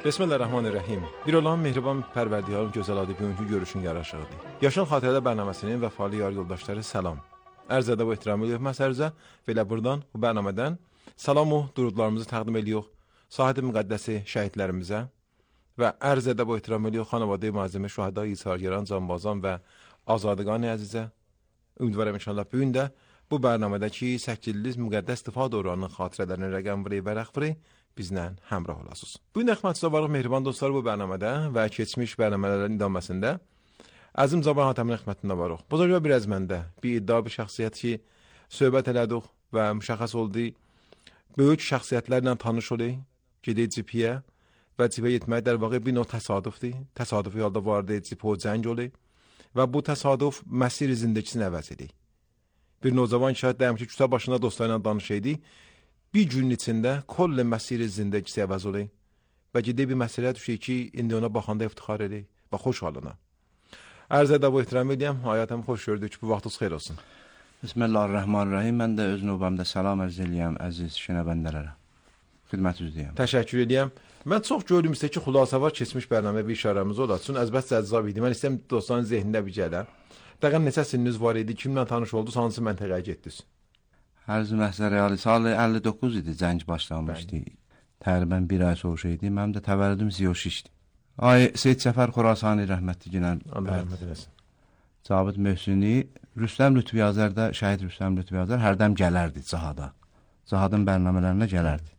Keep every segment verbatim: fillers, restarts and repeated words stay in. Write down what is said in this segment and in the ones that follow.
Bismillahirrahmanirrahim. Bir olan mehriban pərverdigarın gözəl adı bugünkü görüşün yaraşıqdır. Yaşıl Xatirələr bərnaməsinin vəfalı yar yoldaşları salam. Ərz edəb və ehtiram edirik məsərizə və elə buradan, bu bərnamədən salam o durudlarımızı təqdim edirik Sahid-i Müqəddəsi şəhidlərimizə və ərz edəb və ehtiram edirik xanavadə-i mazəmə şühəda İsargəran, Canbazan və Azadqan əzizə. Ümidvarım inşallah bugün də bu bərnamədəki səkkiz müqəddəs istifad oranının xatirələrini rəqəm vəri və rəxvəri bizlə həmrah olasınız. Bugün əxmətçidə varıq mehriban dostlar bu bərnamədə və keçmiş bərnamələrin idaməsində Əzim Caban Hatəmin xidmətində varıq. Buzurga bir əzməndə, bir iddia, bir şəxsiyyət ki, söhbət elədik və müşəxəs oldu. Böyük şəxsiyyətlərlə tanış oldu, gedək cipiyə və cipiyə getmək der vaxtı bir növ təsadüfdir. Təsadüfi halda vardı, cipi o cəng oldu və bu təsadüf məsir zindəkisini əvəz edir. Bir nozavan şahid dəyəm ki, kütə başında dostlarla danışaydı. Bir günün içində kolle məsiri zindəkisi əvəz olay və ciddi bir məsələ düşür ki, indi ona baxanda iftixar edir və xoş halına. Ərz edəb və ehtiram edəyəm, hayatım xoş gördük, bu vaxtınız xeyir olsun. Bismillahirrahmanirrahim. Mən də öz növbəmdə salam ərz eləyəm əziz şənəbəndələrə. Xidmət üzrəyəm. Təşəkkür edəyəm. Mən çox gördüm sizə ki, xülasə var keçmiş bərnamə bir işarəmiz olar. Çün əzbət cəzzab idi. Mən istəyəm dostların zehnində bir gələ. Dəqiq neçə sininiz var idi, kimlə tanış oldunuz, hansı məntəqəyə getdiniz? Hər məsələ reali salı əlli doqquz idi, cəng başlanmışdı. Təqribən bir ay sonra idi. Mənim də təvəllüdüm Ziyoşişdi. Ay Seyid Cəfər Xorasani rəhmətli günən. Allah rəhmət eləsin. Cabit Möhsüni, Rüstəm Lütfiyazərdə, şəhid Rüstəm Lütfiyazər hərdəm gələrdi cihada. Cihadın bərnamələrinə gələrdi.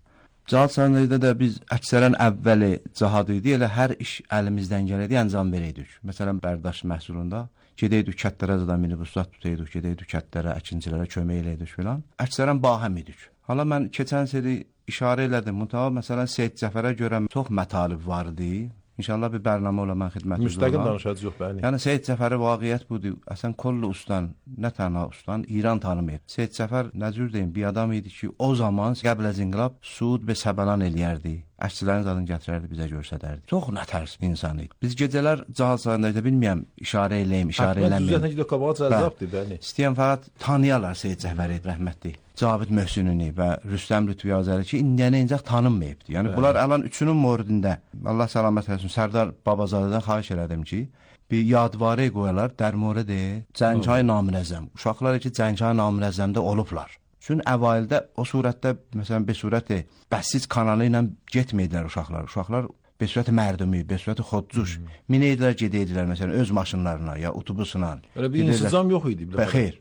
Cihad sənədində də biz əksərən əvvəli cihad idi, elə hər iş əlimizdən gəlirdi, əncam verəydik. Məsələn, Bərdaş məhsulunda gedəydik kətlərə zadan minibuslat tutaydik, gedəydik kətlərə, əkincilərə kömək eləydik filan. Əksərən bahəm idik. Hala mən keçən seri işarə elədim. Mütəva məsələn Seyid Cəfərə görə çox mətalib vardı. İnşallah bir bərnamə ola mən xidmətinizdə müstəqil danışacağıq yox bəli. Yəni Seyid Cəfəri vaqiət budur. Əsən kollu ustan, nə tənha ustan İran tanımır. Seyid Cəfər nə cür deyim, bir adam idi ki, o zaman qəbl az inqilab Suud və Səbəlan eləyərdi. Əşçilərin zadını gətirərdi, bizə göstərərdi. Çox nətərs insan idi. Biz gecələr cihad sahəsində bilmirəm, işarə eləyim, işarə eləməyim. Düzəltən ki, qabağa cəzabdır, bəli. İstəyən fəqət tanıyarlar Seyid Cəfəri rəhmətli. Cabit Möhsünini və Rüstəm Lütfiyazəri ki, indiyənə incək tanınmayıbdı. Yəni bəli. Bunlar alan üçünün moridində, Allah səlamət eləsin, Sərdar Babazadədən xahiş elədim ki, bir yadvarı qoyarlar, dərmorə deyil, Cənghay Namirəzzəm. Uşaqlar ki, Cənghay Namirəzzəmdə olublar. Çünki əvvəldə o surətdə, məsələn, bir surəti bəssiz kanalı ilə getməyidilər uşaqlar. Uşaqlar bir surəti mərdumi, bir surəti xodcuş, hmm. minəydilər, gedəydilər, məsələn, öz maşınlarına, ya otobusla. Öyle bir insizam yox idi. Və xeyr,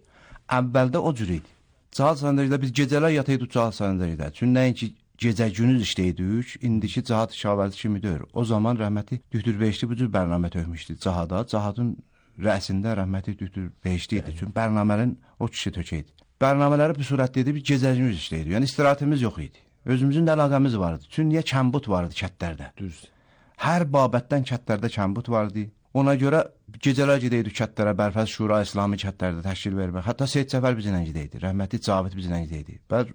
əvvəldə o cür idi. Cihad sahəsində biz gecələr yataydık cihad sahəsində. Çünki nəinki gecə günüz işləydik, indiki cihad şavardı kimi deyir. O zaman rəhmətli Dühtür Beşli bu cür bərnamə tökmüşdü cihada. Cihadın rəsində rəhmətli Dühtür Beşli idi. Çünki bərnamənin o kişi tökəydi. Bərnamələri bir surətdə idi, bir gecəcimiz işləyirdi. Yəni istirahatimiz yox idi. Özümüzün də əlaqəmiz vardı. Çünki niyə kəmbut vardı kətlərdə? Düz. Hər babətdən kətlərdə kəmbut vardı. Ona görə gecələr gedəydik kətlərə, Bərfəz Şura İslami kətlərdə təşkil vermək. Hətta Seyid Cəfər bizlə gedəydi, rəhmətli Cabit bizlə gedəydi. Bəz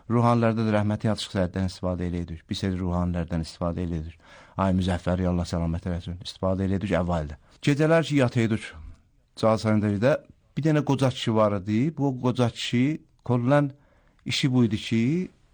ruhanilərdə də rəhmətli Yalçıq Səyiddən istifadə eləyirdik. Bir seri ruhanilərdən istifadə eləyirdik. Ay Müzəffəri, Allah səlamət eləsin, istifadə eləyirdik əvvəldə. Gecələr ki yataydık cihad sahəsində. Bir dənə qoca kişi var idi. Bu qoca kişi kollan işi bu idi ki,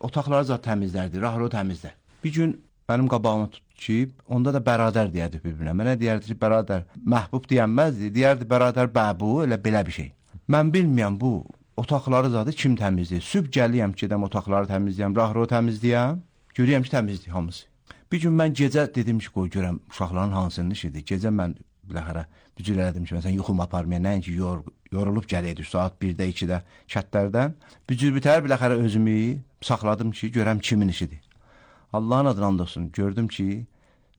otaqları zat təmizlərdi, rahro təmizlər. Bir gün mənim qabağıma tutdu ki, onda da bərabər deyərdi bir-birinə. Mənə deyərdi ki, bərabər məhbub deyənməzdi, deyərdi bərabər bəbu, elə belə bir şey. Mən bilməyəm bu otaqları zadı kim təmizləyir. Sübh gəliyəm ki, gedəm otaqları təmizləyəm, rahro təmizləyəm, görəyəm ki, təmizləyir hamısı. Bir gün mən gecə dedim ki, qoy görəm uşaqların hansının işidir. Gecə mən biləxərə bücür elədim ki, məsələn, yuxum aparmaya, nəinki yor, yorulub gələydik saat birdə, ikidə kətlərdən. Bücür bitər, biləxərə özümü saxladım ki, görəm kimin işidir. Allahın adını and olsun, gördüm ki,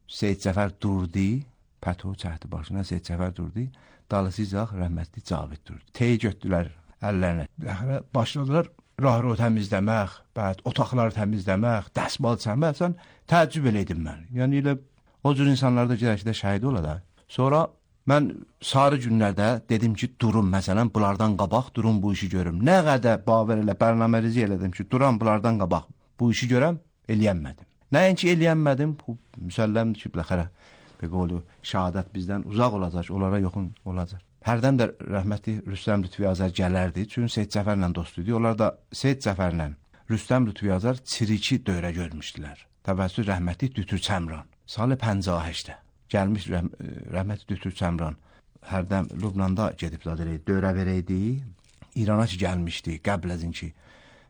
Seyid Cəfər durdu, pəto çəkdi başına, Seyid Cəfər durdu, dalısıyacaq rəhmətli Cabit durdu. Teyi götdülər əllərinə. Biləxərə başladılar rahro təmizləmək, bəd, otaqları təmizləmək, dəsmal çəmək, sən təəccüb eləydim mən. Yəni elə o cür insanlarda gələk ki, də şəhid ola da. Sonra mən sarı günlərdə dedim ki, durum, məsələn, bunlardan qabaq, durum bu işi görüm. Nə qədər baver elə, bərnamərizi elədim ki, duram bunlardan qabaq, bu işi görəm, eləyənmədim. Nəinki eləyənmədim, bu müsəlləmdir ki, biləxərə, bir qolu, şəhadət bizdən uzaq olacaq, onlara yoxun olacaq. Hərdən də rəhmətli Rüstəm Lütfiyazər gələrdi, çünki Seyid Cəfərlə dost idi. Onlar da Seyid Cəfərlə Rüstəm Lütfiyazər çiriki dövrə görmüşdülər. Təvəssül rəhmətli Dütür Çəmran. salı pəncah həştə gəlmiş rəhm rəhmətli Dötür Səmran hərdən Lübnanda gedib zadə dövrə verəydi. İrana ki gəlmişdi, qəbləzin ki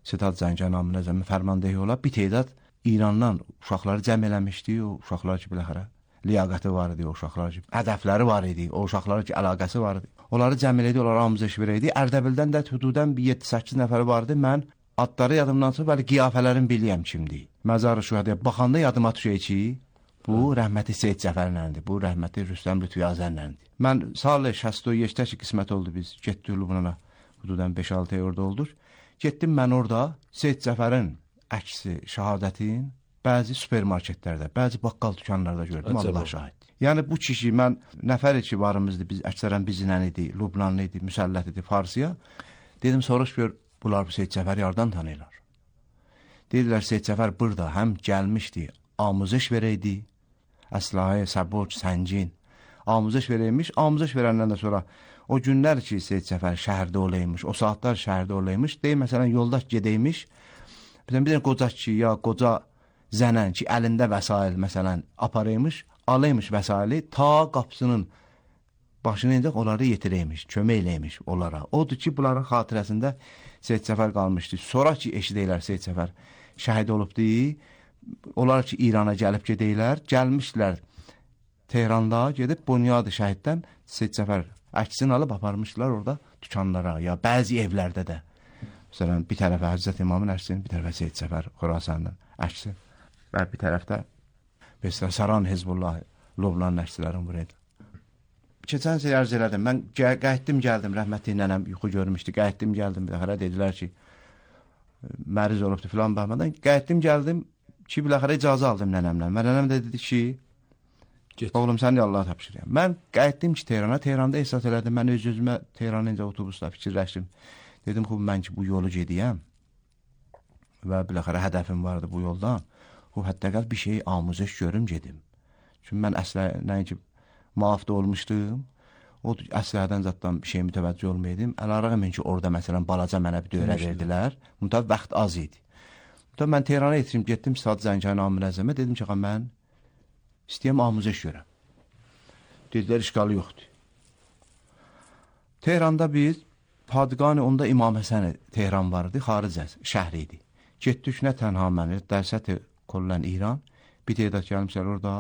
Sedat Zəngər namına zəmi fərmandehi ola bir tədad İrandan uşaqları cəm eləmişdi. O uşaqlar ki biləxərə liyaqəti var idi, o uşaqlar ki hədəfləri var idi, o uşaqlar ki əlaqəsi var idi. Onları cəm elədi, onlara amuzəş verəydi. Ərdəbildən də hududən bir yeddi səkkiz nəfəri vardı. Mən adları yadımdan çıxıb, bəli qiyafələrin biliyəm kimdir. Məzar-ı Şühədəyə baxanda yadıma düşür ki, bu rəhməti Seyid Cəfərləndir, bu rəhməti Rüstəm Lütfüyazərləndir. Mən salı şəsd yeşdə ki qismət oldu biz, getdik Lübnana, hududən beş altı ay orada olduq. Getdim mən orada Seyid Cəfərin əksi, şəhadətin bəzi supermarketlərdə, bəzi baqqal dükanlarda gördüm, Allah şahid. Yəni bu kişi, mən nəfər ki varımızdı, biz əksərən bizlə idi, Lübnanlı idi, müsəllət idi, Farsiya. Dedim, soruş gör, bunlar bu Seyid Cəfəri yardan tanıyırlar. Dedilər, Seyid Cəfər burada həm gəlmişdi, amuzəş verəydi, əslahə, səboç, səncin, amuzəş verəymiş, amuzəş verəndən də sonra o günlər ki, Seyid Cəfər şəhərdə olaymış, o saatlar şəhərdə olaymış, deyim, məsələn, yoldaş gedəymiş, bir dənə qoca ki, ya qoca zənən ki, əlində vəsail, məsələn, aparaymış, alaymış vəsaili, ta qapısının başını incək, onları yetirəymiş, kömək eləymiş onlara. Odur ki, bunların xatirəsində Seyid Cəfər qalmışdı. Sonra ki, eşidəylər Seyid Cəfər şəhid olubdu, onlar ki, İrana gəlib gedəylər, gəlmişlər Tehranda, gedib Bunyad-ı Şəhiddən Seyid Cəfər əksini alıb aparmışlar orada dükanlara, ya bəzi evlərdə də. Məsələn, bir tərəfə Həzrət İmamın əksini, bir tərəfə Seyid Cəfər Xurasanın əksi və bir tərəfdə Besra Saran Hezbollah Lübnan əksilərin buraydı. Keçən sey arz elədim, mən qayıtdım gəldim, rəhmətli nənəm yuxu görmüşdü, qayıtdım gəldim, bir dəxərə dedilər ki, məriz olubdu filan baxmadan, qayıtdım gəldim ki, bir dəxərə icazə aldım nənəmlə. Mən nənəm də dedi ki, Get. Oğlum sən də Allaha tapşırıyam. Mən qayıtdım ki, Tehrana, Tehranda ehsas elədim, mən öz-özümə Tehranın incə otobusla fikirləşdim. Dedim, xub, mən ki, bu yolu gediyəm və bir dəxərə hədəfim vardı bu yoldan. O hətta bir şey amuzəş görüm gedim. Çünki mən əslə nəinki muafda olmuşdum. O əslərdən zatdan bir şey mütəvəccüh olmayaydım. Əlarəğmin ki, orada məsələn balaca mənə bir dövrə verdilər. Mütəv vaxt az idi. Mütəv mən Tehrana yetişim, getdim Saad Zəngərin Amir-Əzəmə. Dedim ki, mən istəyəm amuzəş görəm. Dedilər, işqalı yoxdur. Tehranda biz Padqani, onda İmam Həsən Tehran vardı, xaric şəhri idi. Getdik nə tənha məni, dərsəti Kollən İran, bir teydat gəlmişlər orada,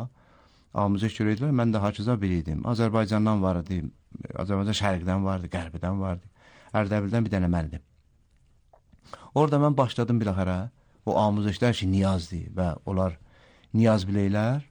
amuzəş görəydilər, mən də haçıza biriydim. Azərbaycandan vardı, Azərbaycan şərqdən vardı, qərbidən vardı, Ərdəbildən bir dənə məndim. Orada mən başladım biləxərə, o amuzəşlər ki, niyazdır və onlar niyaz biləylər,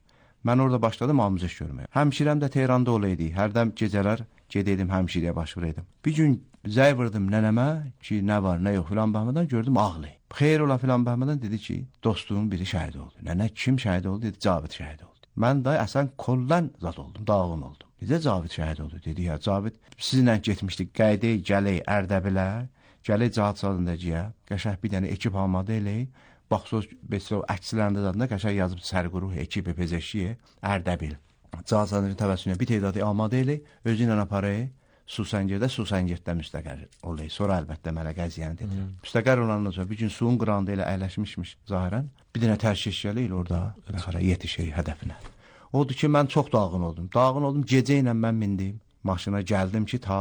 mən orada başladım amuzəş görməyə. Həmşirəm də Tehranda olaydı, hərdən gecələr gedəydim, həmşiriyə baş vuraydım. Bir gün zəy vurdım nənəmə ki, nə var, nə yox filan baxmadan gördüm ağlayı. Xeyr ola filan baxmadan dedi ki, dostumun biri şəhid oldu. Nənə kim şəhid oldu? Dedi, Cavid şəhid oldu. Mən də əsən Kollən zat oldum, dağın oldum. Necə Cavid şəhid oldu? Dedi, ya Cavid sizinlə getmişdik, qəydək, gələk, Ərdəbilə, gələk Cahat sadındacıya, qəşəh bir dənə ekip almadı elək, baxsız, Besrov əksilərində zadında qəşəh yazıb sərquruh, ekip, pezeşiyə, Ərdəbil. Cahat sadındacı təvəssünə bir teydadı almadı elək, özü ilə aparayı, Susəngirdə, Susəngirdə müstəqər olayı. Sonra əlbəttə mənə qəziyyəni dedim. Müstəqər olandan sonra bir gün suyun qırağında ilə əyləşmişmiş zahirən. Bir dənə tərşiş gəlir orada yetişir hədəfinə. Odur ki, mən çox dağın oldum. Dağın oldum, gecə ilə mən mindim. Maşına gəldim ki, ta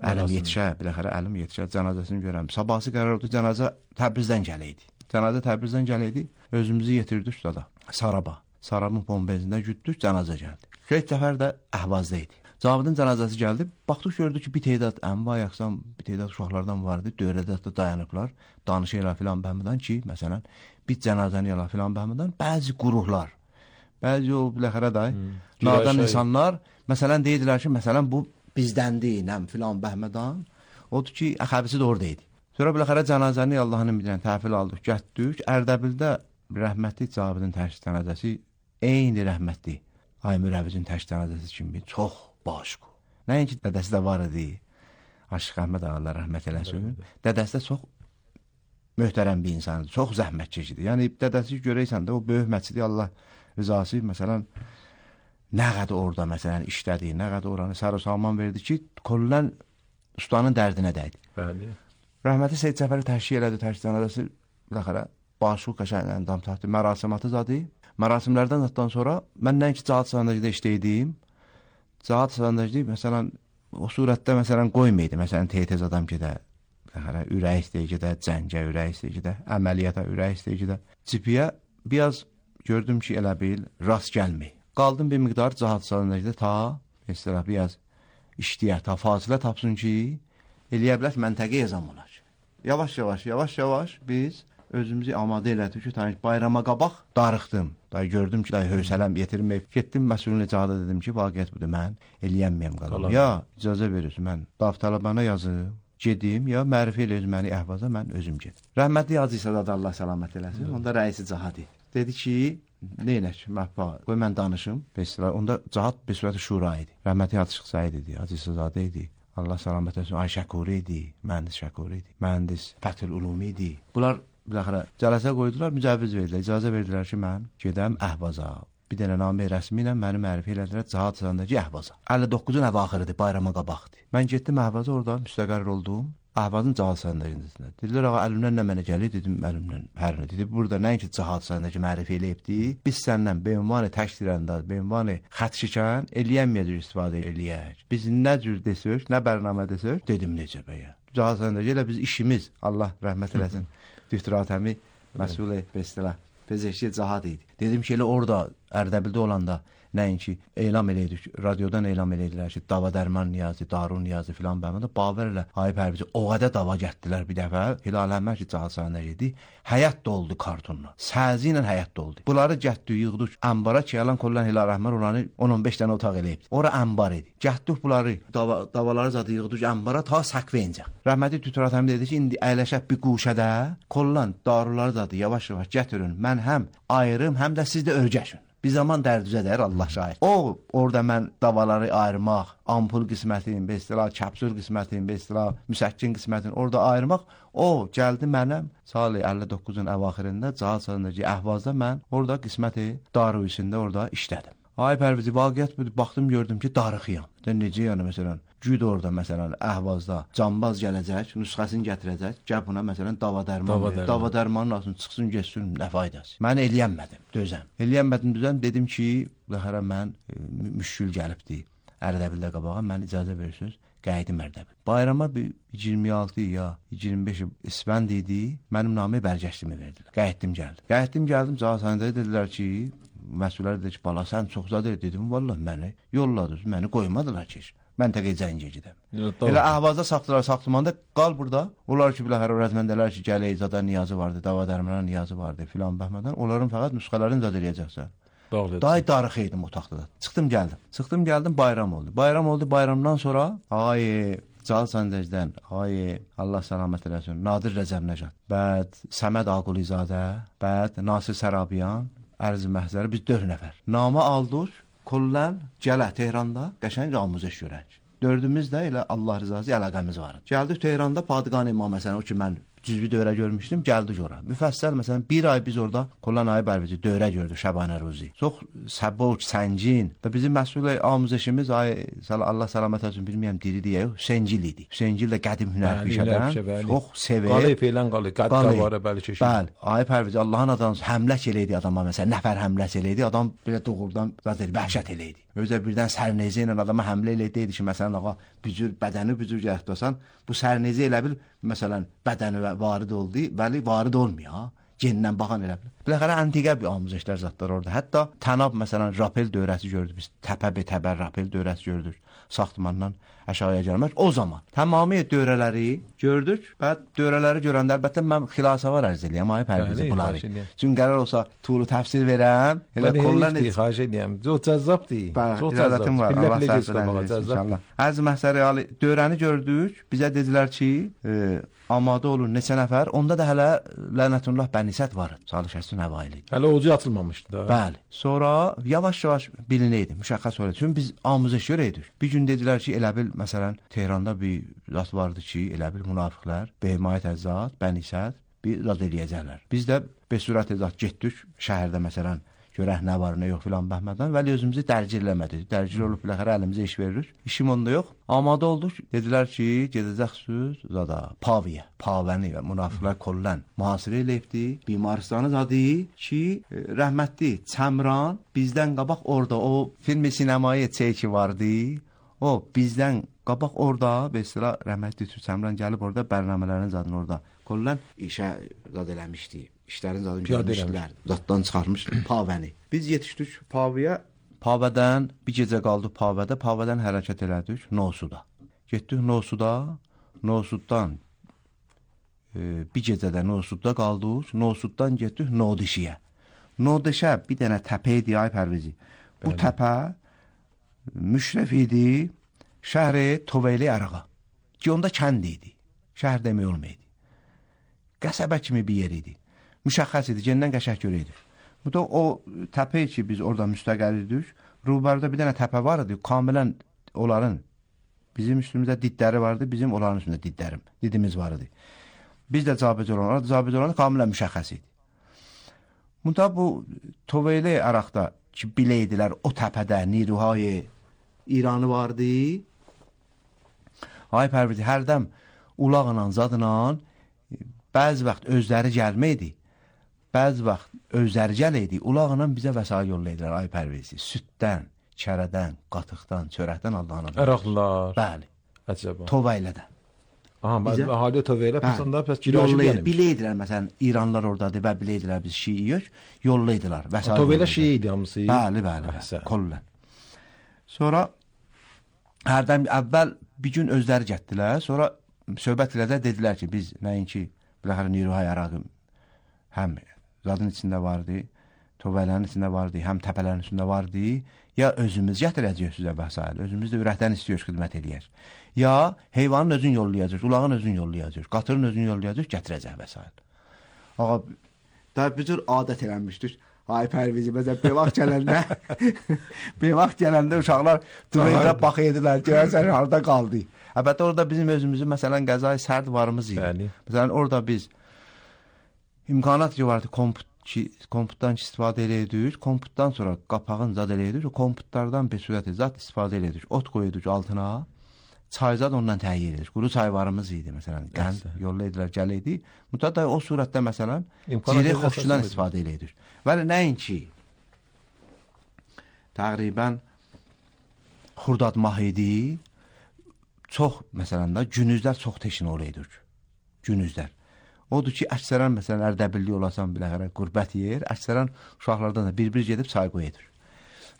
əlim yetişə, biləxərə əlim yetişə, cənazəsini görəm. Sabahsı qərar oldu, cənazə Təbrizdən gələydi. Cənazə Təbrizdən gələydi, özümüzü yetirdik da Saraba. Sarabın bombezində güddük, cənazə gəldi. Seyid Cəfər də Əhvazda idi. Cavidin cənazəsi gəldi, baxdıq gördük ki, bir teydat ənva yaxsan, bir teydat uşaqlardan vardı, dövrədə də dayanıblar, danışıyla filan bəhmədən ki, məsələn, bir cənazəni yala filan bəhmədən, bəzi quruhlar, bəzi o biləxərə day, nadan insanlar, məsələn, deydilər ki, məsələn, bu bizdəndir, nəm filan bəhmədən, odur ki, əxəbisi də oradaydı. Sonra biləxərə cənazəni Allahının bilən təhvil aldıq, gətdik, Ərdəbildə rəhmətli Cavidin təşkil cənazəsi, eyni rəhmətli Aymür Əvizin təşkil cənazəsi kimi çox başqı. Nəinki dədəsi də var idi, Aşıq Əhməd Allah rəhmət eləsin, dədəsi də çox möhtərəm bir insandır, çox zəhmətçidir. Yəni, dədəsi görəysən də o böyük məscidi Allah rızası, məsələn, nə qədər orada, məsələn, işlədi, nə qədər oranı sər-o salman verdi ki, Kollən ustanın dərdinə dəydi. Bəli. Rəhməti Seyid Cəfəri təşkil elədi, təşkil cənazəsi, biləxərə, başqı qəşənglə dam taxtı, mərasimatı zadı. Mərasimlərdən zatdan sonra mən nəinki Cahad Sandacıda işləydim. Cahad Sandacı məsələn o surətdə məsələn qoymaydı. Məsələn tez adam gedə, hələ ürək istəyir gedə, cəngə ürək istəyir gedə, əməliyyata ürək istəyir gedə. Cipiyə biraz gördüm ki, elə bil rast gəlmir. Qaldım bir miqdar Cahad Sandacıda ta mesela biraz işləyər, ta fasilə tapsın ki, eləyə bilər məntəqə yazam olar. Yavaş-yavaş, yavaş-yavaş biz özümüzü amadə elədik ki, tanış bayrama qabaq darıxdım. Da gördüm ki, da hövsələm yetirməyib. Getdim məsulun icazə dedim ki, vaqiət budur, mən eləyənməyəm qalam. Ya icazə verirsiniz, mən davtalabana yazım, gedim, ya mərifə eləyir məni əhvaza, mən özüm gedim. Rəhmətli Hacı İsa da Allah səlamət eləsin. Hı. Onda rəisi Cahad idi. Dedi ki, neynək, məhba, qoy mən danışım. Mesela, onda Cahad bir sürəti şura idi. Rəhmətli Hacı Şıxsaid idi, Hacı İsazadə idi. Allah səlamət eləsin. Ay Şəkuri idi, mühəndis Şəkuri idi, mühəndis Fəthül Ulumi idi. Bunlar biləxərə cələsə qoydular, mücəviz verdilər, icazə verdilər ki, mən gedəm Əhvaza. Bir dənə namə rəsmi ilə məni mərifə elədilər Cahad Sandacı Əhvaza. əlli doqquzun əvaxırıdır, bayrama qabaqdır. Mən getdim Əhvaza, orada müstəqər oldum. Əhvazın Cahad Sandacı'nda. Dedilər, ağa, əlimdən nə mənə gəlir? Dedim, əlimdən hər nə. Dedi, burada nəinki Cahad Sandacı mərifə eləyibdi. Biz səndən beynvani təşdirəndə, beynvani xət şikən eləyənməyəcək istifadə eləyək. Biz nə cür desək, nə bərnamə desək, dedim necə bəyə. Cahad Sandacı ilə biz işimiz, Allah rəhmət eləsin. Düftüratəmi məsul bestələ Fezəşi Cahad idi. Dedim ki, elə orada Ərdəbildə olanda nəinki elam eləydik, radiodan elam eləydilər ki, dava dərman niyazı, darun niyazı filan bəməndə Bavər ilə Ayıb Hərbici o qədər dava gətdilər bir dəfə. Hilal Əhməd ki, Cahad Sandacı idi. Həyat doldu kartonla. Səzi ilə həyat doldu. Bunları gətdik, yığdıq əmbara ki, yalan kollan Hilal Əhməd oranı on on beş dənə otaq eləyibdi. Ora əmbar idi. Gətdik bunları, dava, davaları zadı yığdıq əmbara ta səqvəyincə. Rəhmətli Tütüratəmi dedi ki, indi əyləşək bir quşədə kollan daruları zadı yavaş-yavaş gətirin. Mən həm ayırım, həm də siz də örgəşin. Bir zaman dərdüzə dəyər, Allah şahid. O, orada mən davaları ayırmaq, ampul qismətini, bestila, kəpsül qismətini, bestila, müsəkkin qismətini orada ayırmaq, o, gəldi mənəm, sali əlli doqquzun əvaxirində, Cahad Sandacı Əhvazda mən orada qisməti darı üstündə orada işlədim. Ay Pərvizi, vaqiət budur, baxdım, gördüm ki, darıxıyam. Necə yəni, məsələn, cüd orada, məsələn, Əhvazda cambaz gələcək, nüsxəsini gətirəcək, gəl buna, məsələn, dava dərman dava, dərman. dava dərmanın altını çıxsın, geçsin, nə faydası. Mən eləyənmədim, dözəm. Eləyənmədim, dözəm, dedim ki, ləhərə mən e, müşkül gəlibdi, Ərdəbildə qabağa, mən icazə verirsiniz, qayıdım Ərdəbil. Bayrama bir iyirmi altı ya iyirmi beş isbənd idi, mənim namı bərgəşdimi verdilər. Qayıtdım, gəldim. Qayıtdım, gəldim, Cahad Sandacı dedilər ki, məsullər dedi ki, bala, sən çox zadə dedim, vallahi məni yolladınız, məni qoymadılar ki, məntəqəyə zəncə gedəm. Elə Əhvazda saxtılar, saxtımanda qal burada. Onlar ki, biləhər öyrətməndələr ki, gələ zadə niyazı vardı, dava dərmanə niyazı vardı filan bəhmədən. Onların fəqət nüsxələrini zad eləyəcəksən. Day darıx idim otaqda. Çıxdım, gəldim. Çıxdım, gəldim, bayram oldu. Bayram oldu, bayramdan sonra ay Cahad Sandacıdan, ay Allah səlamət eləsin, Nadir Rəcəb Nəcad, bəd Səməd Aqulizadə, bəd Nasir Sərabiyan, Ərz-i Məhzəri, biz dörd nəfər. Namə aldıq, kollən gələ Tehranda qəşəng amuzəş görək. Dördümüz də elə Allah rızası əlaqəmiz var. Gəldik Tehranda Padiqan İmam məsələn, o ki mən cüzvi dövrə görmüşdüm, gəldik ora. Müfəssəl məsələn bir ay biz orada Kollan Ayıb Hərbici dövrə gördük Şəbanə Ruzi. Çox səboq, səngin və bizim məsul amuzəşimiz ay Allah səlamət olsun bilmirəm diri deyə Hüseygil idi. Hüseygil də qədim hünərpişədən çox sevir. Qalib elən qalib, qədqavarə bəli keşir. Bəli, Ayıb Hərbici Allahın adamı həmlək eləydi adama məsələn, nəfər həmlək eləydi, adam belə doğrudan zaten vəhşət eləydi. Özə birdən sərneyzə ilə adama həmlə eləydi ki, məsələn ağa bücür bədəni bücür gətirsən, bu sərneyzə elə bil məsələn bədəni varid oldu, bəli varid olmuyor. Gendən baxan elə bil. Biləxərə antiqə bir amuzəşlər zatlar orada. Hətta Tənab məsələn rapel dövrəsi gördük biz. Təpə be təbər rapel dövrəsi gördük. Saxtmandan aşağıya gəlmək. O zaman tamamilə dövrələri gördük. Və dövrələri görəndə əlbəttə mən xilasavar ərz eləyəm Ayıb Hərbici bunları. Çünki qərar olsa tulu təfsir verəm. Elə kollan heç xahiş edirəm. Çox cəzzabdır. Çox cəzzabdır. Var. Allah səbirləsin inşallah. Ərz Məhsəri Ali dövrəni gördük. Bizə dedilər ki, e, amadə olun neçə nəfər. Onda da hələ lənətullah bənisət var. Salihəsin əvaili. Hələ ocu atılmamışdı da. Bəli. Sonra yavaş-yavaş bilinəydi, müşəxəs oldu. Çünki biz amuzəş görəydik. Bir gün dedilər ki, elə bil məsələn Tehranda bir zat vardı ki, elə bil münafiqlər, Behimayət Əzzat, bənisət bir zat eləyəcəklər. Biz də be sürət zat getdik şəhərdə məsələn görək nə var, nə yox filan bəhmədən. Vəli özümüzü dərc eləmədik. Dərc olub biləxərə əlimizə iş veririk. İşim onda yox. Amadə olduq. Dedilər ki, gedəcəksiniz zada Paviyə, Pavəni və münafiqlər kollan mühasirə eləyibdi. Bimarstanı zadı ki, rəhmətli Çəmran bizdən qabaq orada o filmi sinemaya çəki vardı. O bizdən qabaq orada, mesela rəhmətli Çəmran gəlib orada bərnamələrin zadını orada kollan işə zad eləmişdi. İşlərin zadını görmüşdülər. Zaddan çıxarmış Pavəni. Biz yetişdik Paviyə. Pavədən bir gecə qaldıq Pavədə. Pavədən hərəkət elədik Nosuda. Getdik Nosuda. Nosuddan e, bir gecədə Nosudda qaldıq. Nosuddan getdik Nodişiyə. Nodişə bir dənə təpə idi ay Pərvizi. Bu Bəli. Təpə müşrəf idi şəhri Toveyli Ərağa. Ki onda kənd idi. Şəhər demək olmaydı. Qəsəbə kimi bir yer idi. Müşəxəs idi, gəndən qəşək görəydik. Bu da o təpə ki, biz orada müstəqəl idik. Rubarda bir dənə təpə var idi, kamilən onların, bizim üstümüzdə didləri vardı, bizim onların üstündə didlərim, didimiz var idi. Biz də cabit olan, orada cabit olan kamilən müşəxəs idi. Bu da bu Toveyli Əraqda ki, biləydilər, o təpədə Niruhay İranı vardı. Ay Pərvizi, hərdəm ulaqla, zadla, bəzi vaxt özləri gəlməkdi. Bəzi vaxt özləri gələydi, ulaqla bizə vəsail yollaydılar, ay Pərvizi. Süddən, kərədən, qatıqdan, çörəkdən Allah'ın adına. Əraqlar. Bəli. Əcəba. Toveylədən. Aha, bizə ahali Toveylə pəsəndə pəs girajı gəlmiş. Biləydilər, məsələn, İranlar oradadır və biləydilər biz Şiiyik, yollaydılar. Vəsail Toveylə Şiiy idi hamısı. Bəli, bəli, bəli. Kollən. Sonra hərdən əvvəl bir gün özləri gətdilər, sonra söhbət elədə dedilər ki, biz nəinki biləxərə Niruhay Əraqı həm zadın içində vardı, Toveylərin içində vardı, həm təpələrin içində vardı, ya özümüz gətirəcəyik sizə vəsail, özümüz də ürəkdən istiyoruz xidmət eləyək. Ya heyvanın özün yollayacaq, ulağın özün yollayacaq, qatırın özün yollayacaq, gətirəcək vəsail. Ağa, da bir cür adət eləmişdik. Ay Pərvizi, məsələn, bir vaxt gələndə, bir vaxt gələndə uşaqlar Toveylə baxıydılar, görəsən harada qaldı. Əlbəttə orada bizim özümüzün, məsələn, qəzai sərd varımız idi. Bəli. Məsələn, orada biz imkanat ki vardı, komput ki, komputdan ki istifadə eləyirdik, komputdan sonra qapağın zad eləyirdik, o komputlardan bir sürəti zad istifadə eləyirdik, ot qoyurduq altına, çay zad ondan təyyir edir. Quru çayvarımız idi, məsələn, qənd yollaydılar, gələydi. Mütədə o surətdə, məsələn, zirə xoşundan istifadə eləyirdik. Vəli nəinki, təqribən xurdad mah idi, çox, məsələn, da günüzlər çox teşin olaydık, günüzlər. Odur ki, əksərən, məsələn, Ərdəbilli olasan biləxərə qürbət yer, əksərən uşaqlardan da bir-bir gedib çay qoyudur.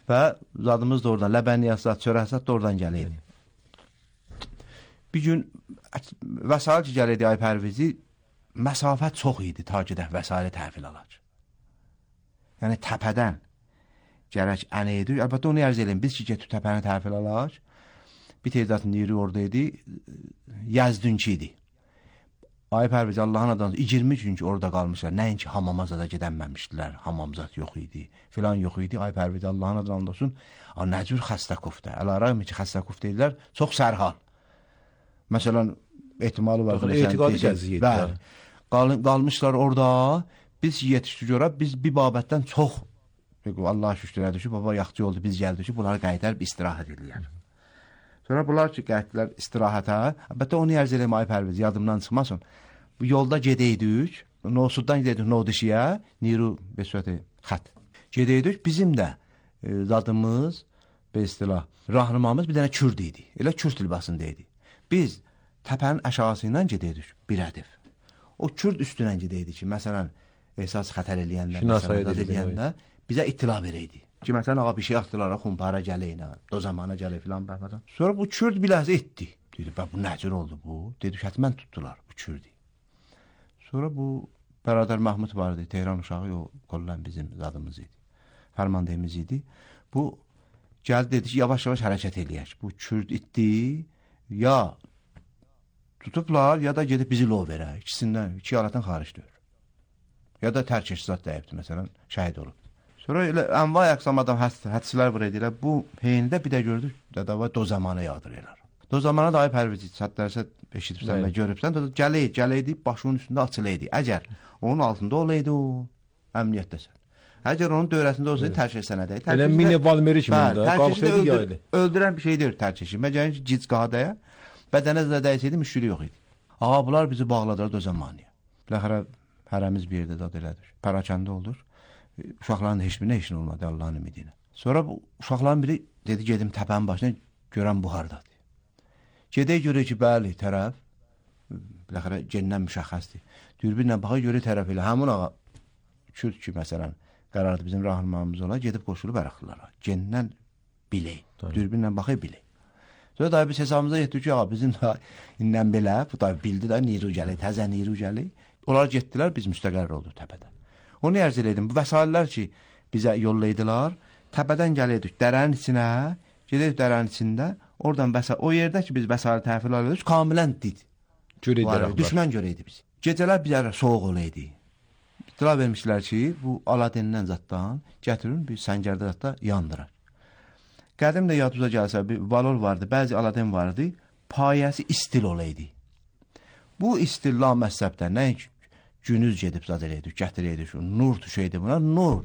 Və zadımız da oradan, ləbəniyyəsat, çörəsat da oradan gələydi. Bir gün vəsail ki, gələydi ay Pərvizi, məsafət çox idi ta ki, də vəsaili təhvil alaq. Yəni, təpədən gərək ənə edir. Əlbəttə, onu ərz edin, biz ki, getib təpəni təhvil alaq, bir teyzatın yeri orada idi, Yəzdünki idi. Ay Pərvizi, Allahın adamı, iyirmi gün ki, orada qalmışlar, nəinki hamamaza da gedənməmişdilər, hamamzat yox idi, filan yox idi. Ay Pərvizi, Allahın adamı olsun, nə cür xəstə kufdə, əlaraq ki, xəstə kufdə idilər, çox sərhal. Məsələn, ehtimalı var. Etiqadi gəziyyət. Bəli, qalmışlar orada, biz yetişdik ora, biz bir babətdən çox, Allah şükür edir ki, baba yaxçı oldu, biz gəldik ki, bunları qayıdar, istirahət edirlər. Sonra bunlar ki, qayıtdılar istirahətə, əlbəttə onu ərz eləyəm, ay Pərviz, yadımdan çıxmasın. Bu yolda gedəydik, Nosuddan gedəydik Nodişiyə, Niru Besvəti xət. Gedəydik, bizim də e, zadımız, be istilah, rahnımamız bir dənə Kürd idi, elə Kürd libasında idi. Biz təpənin əşağısı ilə gedəydik, bir ədif. O Kürd üstünə gedəydik ki, məsələn, əsas xətər eləyəndə, məsələn, eləyəndə bizə ittila verəydi. Ki, məsələn, ağa bir şey atdılar, xumpara gələyinə, do zamana gələ filan bəhmədən. Sonra bu Kürd biləhsə etdi. Dedi, bə, bu nəcür oldu bu? Dedi, hətmən tutdular bu Kürdü. Sonra bu Bəradər Mahmud vardı, Tehran uşağı, o qollən bizim zadımız idi, fərmandəyimiz idi. Bu, gəldi, dedi ki, yavaş-yavaş hərəkət eləyək. Bu Kürd itdi, ya tutublar, ya da gedib bizi lov verək. İkisindən, iki alətdən xaricdir. Ya da tərk eşzat dəyibdir, məsələn, şəhid olub. Sonra elə ənvay əqsam adam hədislər vur edirlər. Bu heyində bir də gördük, dədava do zamanı yağdırırlar. Do zamanı da ay Pərvizi, sətlərsə eşitibsən və görübsən, gələydi, gələydi, başının üstündə açılıydı. Əgər onun altında olaydı o, əmniyyətdəsən. Əgər onun dövrəsində olsaydı tərk etsənədə. Elə mini Valmeri kimi onda qalxırdı yaydı. Öldürən bir şey deyil tərk etsin. Məgər ki gic qadaya bədənə zədə dəysəydi müşkülü yox idi. Ağa bunlar bizi bağladılar dözəmaniyə. Biləxərə hərəmiz bir yerdə dad elədik. Parakəndə olur. Uşaqların heç birinə heç nə olmadı Allahın ümidinə. Sonra bu uşaqların biri dedi gedim təpənin başına görən bu hardadır. Gedək görək ki, bəli, tərəf biləxərə gendən müşəxəsdir. Dürbinlə baxa görə tərəf elə həmin ağa Kürd ki, məsələn, qərardı bizim rahmanımız ola, gedib qoşulub ərəxlılara. Gendən bilək, dürbinlə baxay bilək. Sonra da biz hesabımıza yetdik ki, ağa bizim da indən belə, bu da bildi də niru gəlir, təzə niru gəlir. Onlar getdilər, biz müstəqərr olduq təpədə. Onu ərz elədim, bu vəsaitlər ki, bizə yollaydılar, təpədən gəlirdik dərənin içinə, gedək dərənin içində, oradan vəsail, o yerdə ki, biz vəsail təhvil alıyorduk, kamilən did. Düşmən görəydi biz. Gecələr bizə soğuq olaydı. İtila vermişlər ki, bu Aladin'dən zatdan gətirin, bir səngərdə zatda yandırar. Qədim də yadınıza gəlsə, bir valor vardı, bəzi Aladin vardı, payəsi istil olaydı. Bu istil la məhzəbdən, nə günüz gedib zad eləydik, gətirəydik, nur düşəydi buna, nur.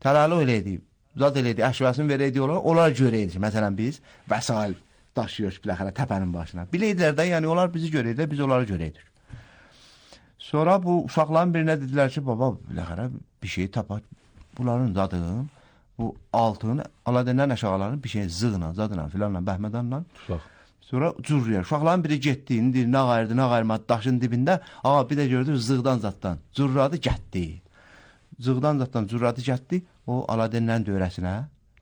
Təlalı eləydik, zad eləydik, əşvəsini verəydik olar, onlar görəydik. Məsələn, biz vəsail daşıyıq biləxərə təpənin başına. Biləydilər də, yəni onlar bizi görəydik, biz onları görəydik. Sonra bu uşaqların birinə dedilər ki, baba, biləxərə bir şey tapaq, bunların zadın, bu altın, Aladin'dən əşağaların bir şey zığla, zadla, filanla, bəhmədanla. Sonra cürrüyer. Uşaqların biri getdi, indi nə qayırdı, nə qayırmadı, daşın dibində, ağa bir də gördü, zığdan zaddan, cürradı gətdi. Zığdan zaddan cürradı gətdi, o Aladin'dən dövrəsinə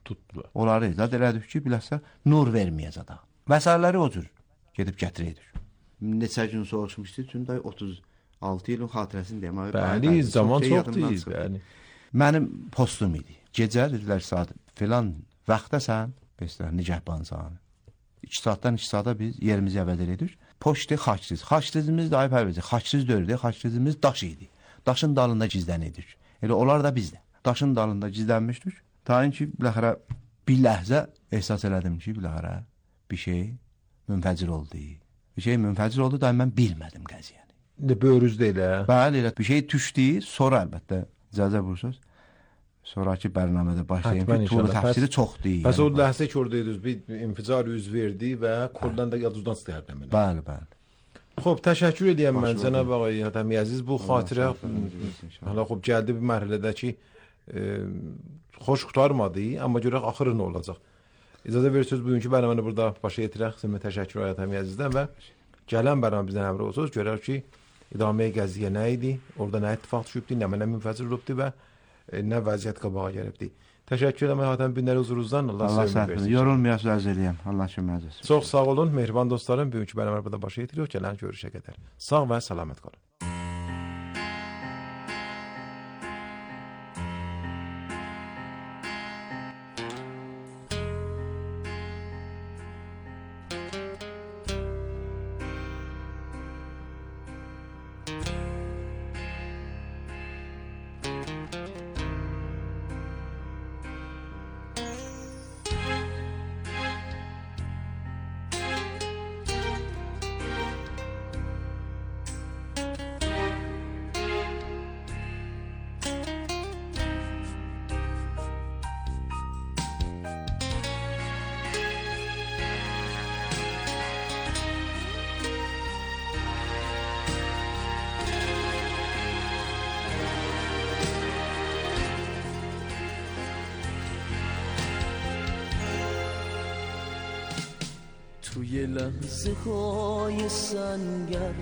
tutdular. Onları zad elədik ki, biləsə, nur verməyəz ada. Vəsairləri o cür gedib gətirəydik. Neçə gün soğuşmuşdu, çünki otuz altı ilin xatirəsini deyəm. Bəli, zaman çoxdur. Bəli. Mənim postum idi. Gecə dedilər saat filan vaxtdasan, beşlər nigəhbansan. iki saatdan iki saata biz yerimizi əvəz edirik. Poçtu xaçsız. Xaçsızımız da ayıb əvəzi. Xaçsız dördü. Xaçsızımız daş idi. Daşın dalında gizlənirdik. Elə onlar da bizdə. Daşın dalında gizlənmişdik. Tayin ki, biləxərə bir ləhzə ehsas elədim ki, biləxərə bir şey münfəcir oldu. Bir şey münfəcir oldu da mən bilmədim qəziyyəni. İndi böyrüzdə elə. Bəli, elə bir şey düşdü, sonra əlbəttə icazə buyursunuz. Sonraki bərnamədə başlayın ki, tuğlu təfsiri çoxdur. Bəs o ləhsə ki, oradaydınız, bir inficar üz verdi və koldan da yadınızdan istəyərdim. Bəli, bəli. Xob, təşəkkür edirəm mən Cənab ağay Hatəmi Əziz. Bu xatirə hala xob gəldi bir mərhələdə ki, xoş qurtarmadı, amma görək axırı nə olacaq. İcazə verirsiniz, bugünkü bərnaməni burada başa yetirək. Sizə təşəkkür Hatəmi Əzizdən və gələn bərnamə bizdən əmr olsunuz. Görək ki, idaməyə gəzdiyə nə idi, orada nə ittifaq düşübdü, nə mənə münfəcir olubdu və nə vəziyyət qabağa gəlibdi. Təşəkkür edirəm Hatəmi Binlər huzurunuzdan. Allah sizə versin. Yorulmayasınız, ərz eləyəm. Allah köməyiniz olsun. Çox sağ olun, mehriban dostlarım. Bugünkü bərnamə burada başa yetiriyor. Gələn görüşə qədər. Sağ və salamat qalın. توی لحظه های سنگر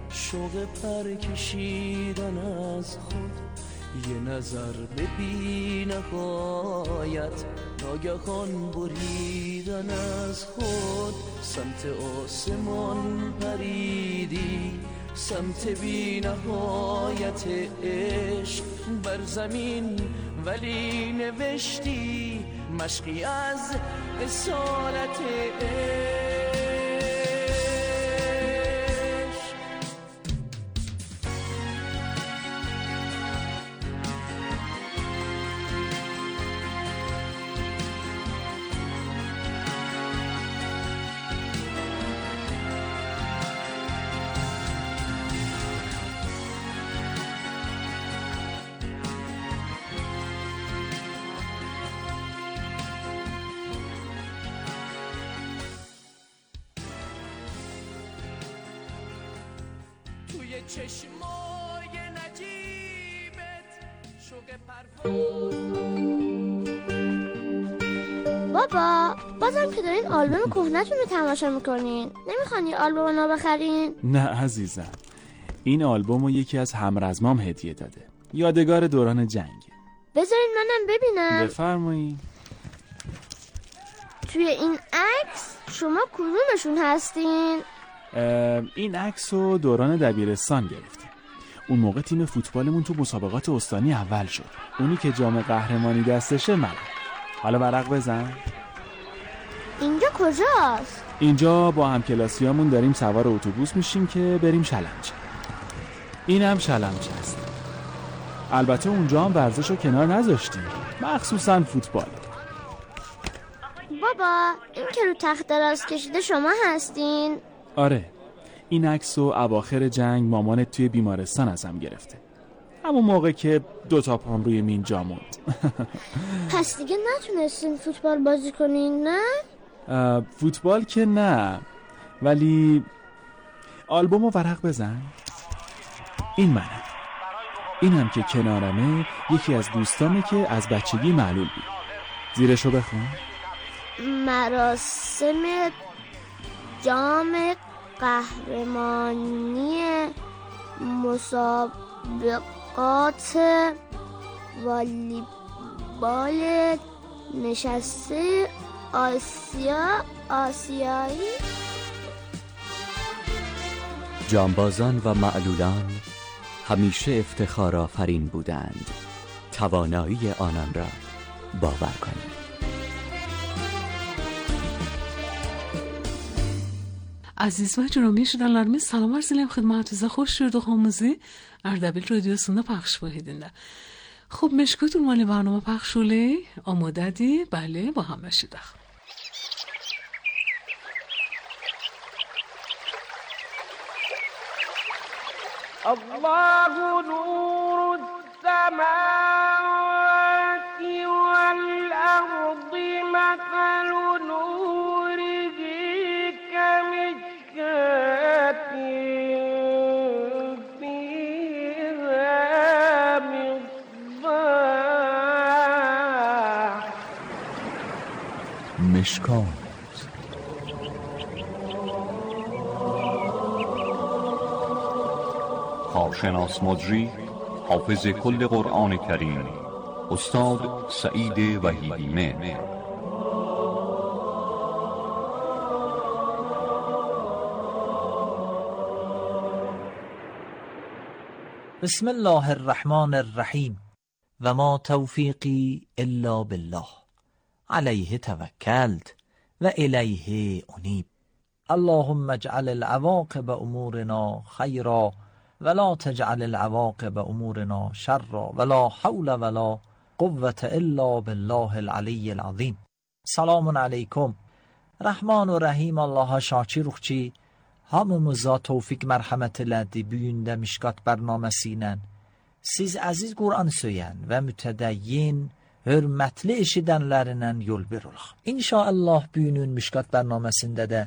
شوق پر کشیدن از خود یه نظر به بی نهایت ناگهان بریدن از خود سمت آسمان پریدی سمت بی نهایت عشق بر زمین ولی نوشتی مشقی از اصالت عشق چشمای نجیبت شوق پرواز. بابا بازم که دارین آلبوم کهنه‌تون رو تماشا میکنین، نمیخوان یه آلبوم نو بخرین؟ نه عزیزم، این آلبوم رو یکی از همرزمام هدیه داده، یادگار دوران جنگ. بذارین منم ببینم. بفرمایید. توی این عکس شما کدومشون هستین؟ این عکس رو دوران دبیرستان گرفتیم. اون موقع تیم فوتبالمون تو مسابقات استانی اول شد. اونی که جام قهرمانی دستشه منم. حالا ورق بزن. اینجا کجاست؟ اینجا با همکلاسیامون داریم سوار اتوبوس میشیم که بریم شلمچه. این هم شلمچه است. البته اونجا هم ورزش رو کنار نذاشتیم، مخصوصا فوتبال. بابا این که رو تخت دراز کشیده شما هستین؟ آره، این عکس رو اواخر جنگ مامانت توی بیمارستان ازم گرفته، همون موقع که دوتا پام روی مین جا موند. پس دیگه نتونستین فوتبال بازی کنین نه؟ فوتبال که نه، ولی آلبوم رو ورق بزن. این منم. اینم که کنارمه یکی از دوستامه که از بچگی معلول بود. زیرشو بخون. مراسم جام قهرمانی مسابقات والیبال نشسته آسیا آسیایی. جانبازان و معلولان همیشه افتخار آفرین بودند. توانایی آنان را باور کنید. Aziz ve cürumi şirinlerimiz salam arz edirəm xidmətinizə, xoş gördük hamınızı. Ərdəbil radiosunda پخش بهیدinde. خب مشکوتون مالی برنامه پخشولی آماده دی؟ بله با هم بشیدخ. الله نور السماوات والأرض مثل نوره كمشكاة فيها مصباح. مشکات کارشناس مجری حافظ کل قرآن کریم استاد سعید وحیدی مهر. بسم الله الرحمن الرحیم و ما توفیقی الا بالله علیه توکلت و الیه انیب. اللهم اجعل العواقب امورنا خیرا ولا تجعل العواقب امورنا شرا ولا حول ولا قوة الا بالله العلی العظیم. سلام علیکم. Rəhman və Rəhim Allaha şakirük ki, hamımıza tövfiq mərhəmət elədi bu gündə Mişkat bərnaməsi ilə. Siz əziz Qur'an söyən və mütədəyyin, hörmətli eşidənlərindən yol verilək. İnşallah bu günün Mişkat bərnaməsində də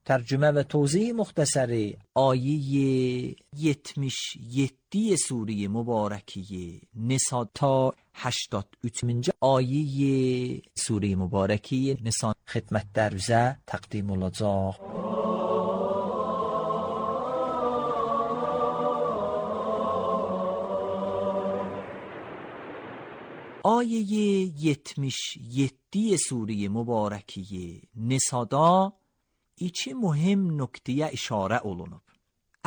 tərcümə və tozih muxtəsəri ayə yetmiş yeddi Sure-i Mübarəkiyə Nisa ta هشتاد و سه آیه سوره مبارکی نسا خدمت در روزه تقدیم olacaq. آیه yetmiş yeddi سوره مبارکی Nisa'da iki mühim nöqtəyə işarə olunub.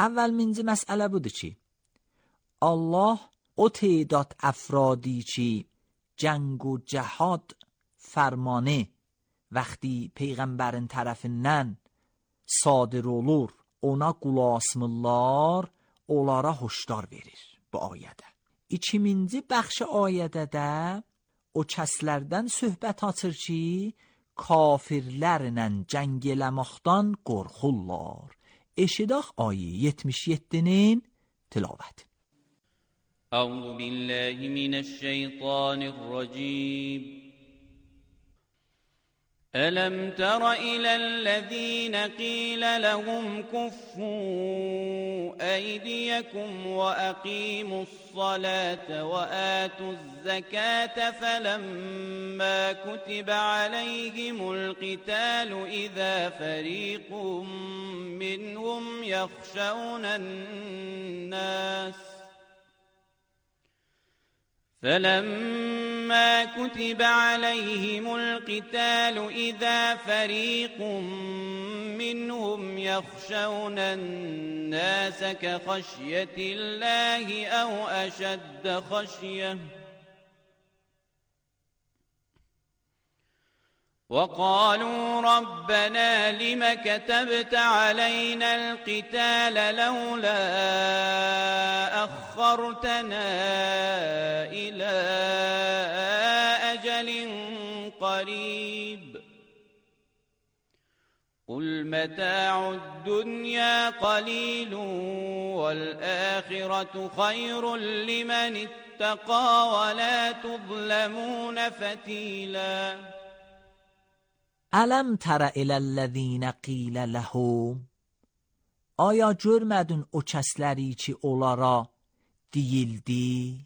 Əvvəlminci məsələ budur ki, Allah o تعداد افرادی که جنگ و جهاد فرمانه وقتی پیغمبرین tərəfindən sadir olur, ona qul asmırlar, onlara hoşdar verir bu ayədə. İkinci bəxş ayədə də o kəslərdən söhbət açır ki, kafirlərlə cəng eləməkdən qorxurlar. Eşidək ayə yetmiş yeddinin tilavəti. أعوذ بالله من الشيطان الرجيم ألم تر إلى الذين قيل لهم كفوا أيديكم وأقيموا الصلاة وآتوا الزكاة فلما كتب عليهم القتال إذا فريق منهم يخشون الناس فلما كتب عليهم القتال إذا فريق منهم يخشون الناس كخشية الله أو أشد خشية وقالوا ربنا لم كتبت علينا القتال لولا أخرتنا إلى أجل قريب قل متاع الدنيا قليل والآخرة خير لمن اتقى ولا تظلمون فتيلا الم تر الی الذین قیل لهم Aya görmədin o kəsləri ki onlara deyildi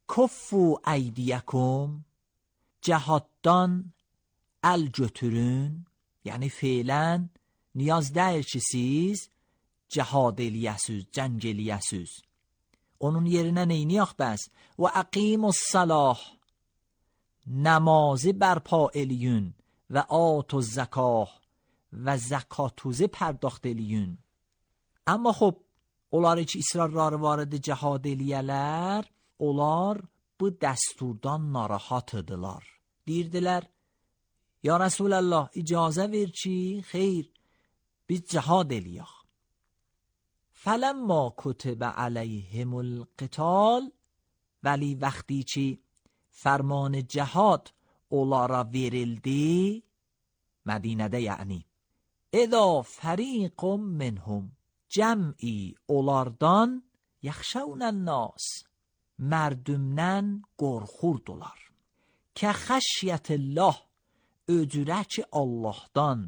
Kuffu eydiyakum cəhaddan əl götürün yəni feylən niyaz deyil ki siz cəhad eləyəsiz, cəng eləyəsiz onun yerinə neyniyək bəs və əqimus salah namazı bərpa eləyün və آتوا الزکاه و زکاتوزه پرداخت eləyün. Amma xop, onları ki israrları var idi cihad eləyələr, onlar bu dəsturdan narahat idilər. Deyirdilər, ya Rasulallah icazə ver ki, xeyr, biz cihad eləyək. فَلَمَّا كُتِبَ عَلَيْهِمُ الْقِتَالِ ولی وقتی که فرمان جهاد onlara verildi Mədinədə yəni اذا فریق منهم cəm'i onlardan yaxşavun الناس mərdümdən qorxurdular که خشیت الله öcürə ki Allahdan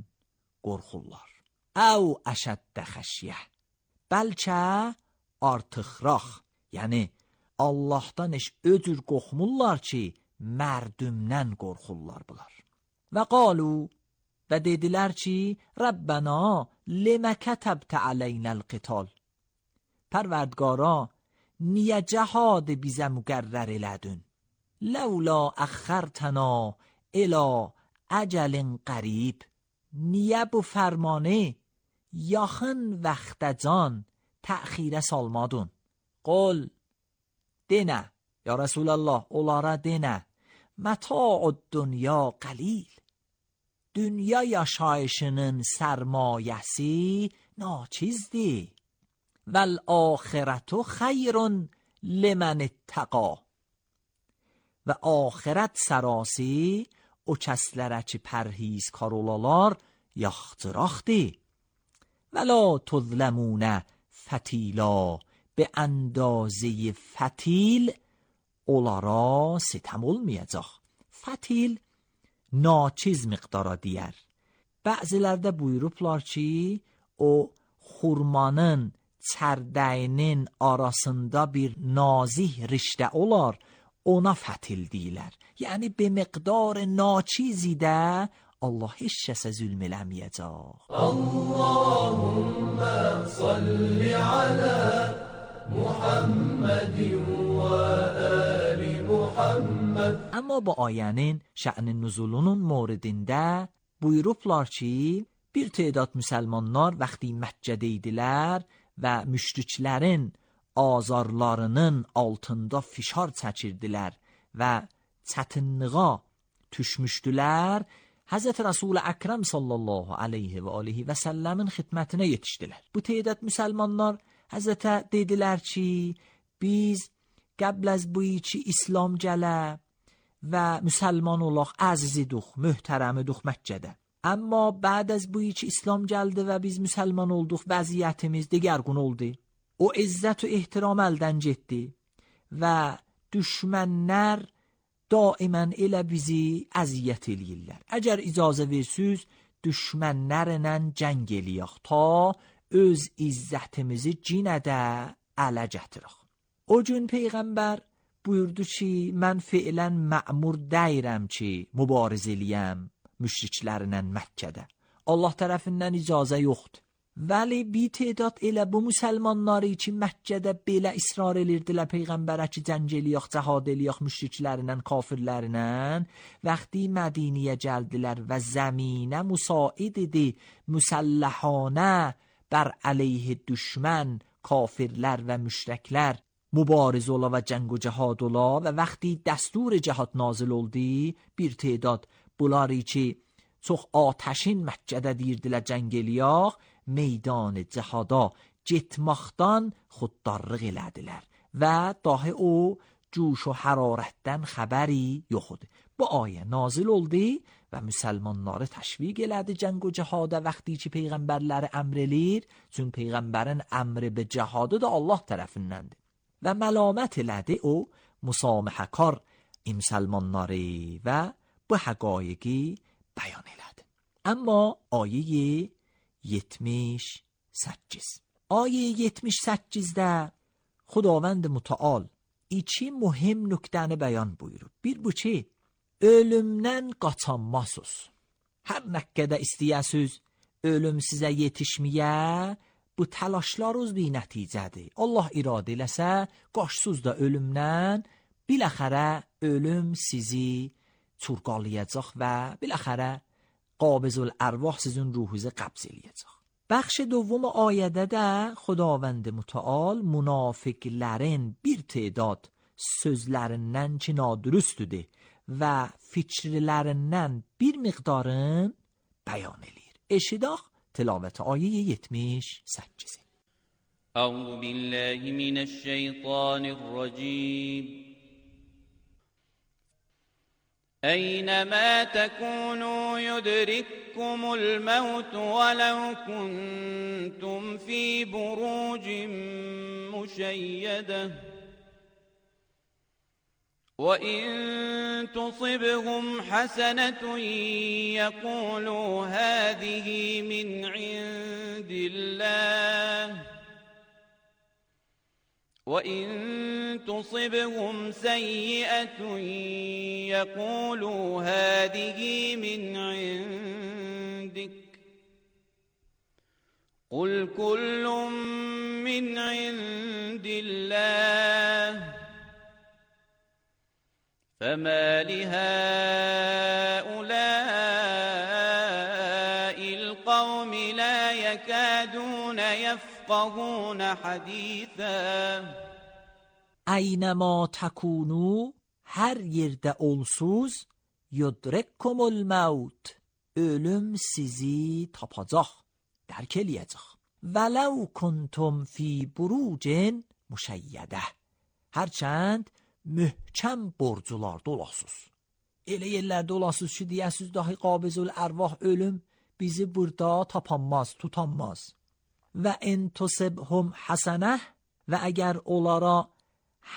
qorxurlar او اشد خشیه bəlkə artıqraq yəni Allahdan heç öcür qorxmurlar ki mərdümdən qorxurlar bunlar. Və qalu və dedilər ki, Rəbbənə limə kətəbtə aleynəl qital. Pərverdgara, niyə cəhadı bizə müqərrər elədin? Ləvla əxxərtəna ilə əcəlin qərib. Niyə bu fərmanı yaxın vaxtacan təxirə salmadın? Qol, denə, ya Rasulallah, onlara denə, متاع الدنیا قلیل dünya yaşayışının sərmayəsi naçizdir vəl axirətu xeyrun limən ittəqa və axirət sərası o kəslərə ki pərhizkar olalar yaxtıraqdır və la tuzləmunə fətila به اندازه فتیل onlara sitem olmayacaq. Fatil naçiz miqdara deyər. Bəzilərdə buyurublar ki, o xurmanın çərdəyinin arasında bir nazih riştə olar, ona fatil deyilər. Yəni be miqdar naçizi də Allah heç kəsə zülm eləməyəcək. Allahumma salli ala Muhammedin və ali Muhammed. Amma bu ayənin şə'nin nüzulunun moridində buyurublar ki, bir tədat müsəlmanlar vaxtı Məkkədə idilər və müşriklərin azarlarının altında fişar çəkirdilər və çətinliğə düşmüşdülər. Hazreti Resul Ekrem sallallahu aleyhi və alihi və səlləmin xidmətinə yetişdilər. Bu tədat müsəlmanlar Hazreti dedilər ki, biz qəbl az bu ki İslam gələ və müsəlman olaq, əziziduq, möhtərəmiduq Məkkədə. Amma بعد از bu ki İslam gəldi və biz müsəlman olduq, vəziyyətimiz digərgün oldu. O izzət və ehtiram əldən getdi və düşmənlər daimən elə bizi əziyyət eləyirlər. Əgər icazə versiz, düşmənlərlə cəng eləyək ta öz izzətimizi cinədə ələ gətirək. O gün Peyğəmbər buyurdu ki, mən fiilən mə'mur deyirəm ki, mübariz eləyəm müşriklərlə Məkkədə. Allah tərəfindən icazə yoxdur. Vəli bir تعداد elə bu müsəlmanları ki, Məkkədə belə israr edirdilər Peyğəmbərə ki, cəng eləyək, cəhad eləyək müşriklərlə, kafirlərlə. Vəqti Mədiniyə gəldilər və zəminə müsaid idi müsəlləhanə bər əleyh düşmən, kafirlər və müşriklər mübariz ola və cəng و cəhad ola və vəqti dəstور cəhad nazil oldu, bir تعداد bunları ki, çox atəşin Məkkədə deyirdilər cəng eləyək, meydan cəhada getməkdən xuddarlıq elədilər və dahi o جوش و حرارətdən xəbəri yox idi. Bu ayə nazil oldu və müsəlmanları təşviq elədi cəng و cəhada vəqti ki, peyğəmbərləri əmr eləyir, çünki peyğəmbərin əmri be cəhadı da Allah tərəfindəndir. Və məlamət elədi o müsaməhəkar müsəlmanları və bu həqaiqi bəyan elədi. Amma ayə yetmiş səkkiz. Ayə yetmiş səkkizdə Xudavənd mütəal iki mühim nöqtəni bəyan buyurub. Bir bu ki, ölümdən qaçanmasız. Hər nə qədər istəyəsiz ölüm sizə yetişməyə, bu təlaşlarınız bir nəticədir. Allah iradə eləsə, qaçsız da ölümdən, biləxərə ölüm sizi çurqalayacaq və biləxərə قابض الارواح sizin ruhunuzu qəbz eləyəcək. Bəxş دوم ayədə də Xudavənd mütəal münafiqlərin bir تعداد sözlərindən ki nadürüstüdür və fikirlərindən bir miqdarın bəyan eləyir. Eşidək tilavət ayə yetmiş səkkiz. أعوذ بالله من الشيطان الرجيم أينما تكونوا يدرككم الموت ولو كنتم في بروج مشيدة وإن تصبهم حسنة يقولوا هذه من عند الله وَإِن تُصِبْهُمْ سَيِّئَةٌ يَقُولُوا هَذِهِ مِنْ عِنْدِكَ قُلْ كُلٌّ مِنْ عِنْدِ اللَّهِ فَمَا لِهَؤُلَاءِ الْقَوْمِ لَا يَكَادُونَ يَفْقَهُونَ حَدِيثًا اینما تکونو hər yerdə olsuz yudrikkum الموت ölüm sizi tapacaq, dərk eləyəcək. Vələv kuntum fi burucin müşəyyidə hərçənd möhkəm borcularda olasız. Elə yerlərdə olasız ki, deyəsiz dahi qabizul ərvah ölüm bizi burada tapanmaz, tutanmaz. Və in tusibhum həsənə və əgər onlara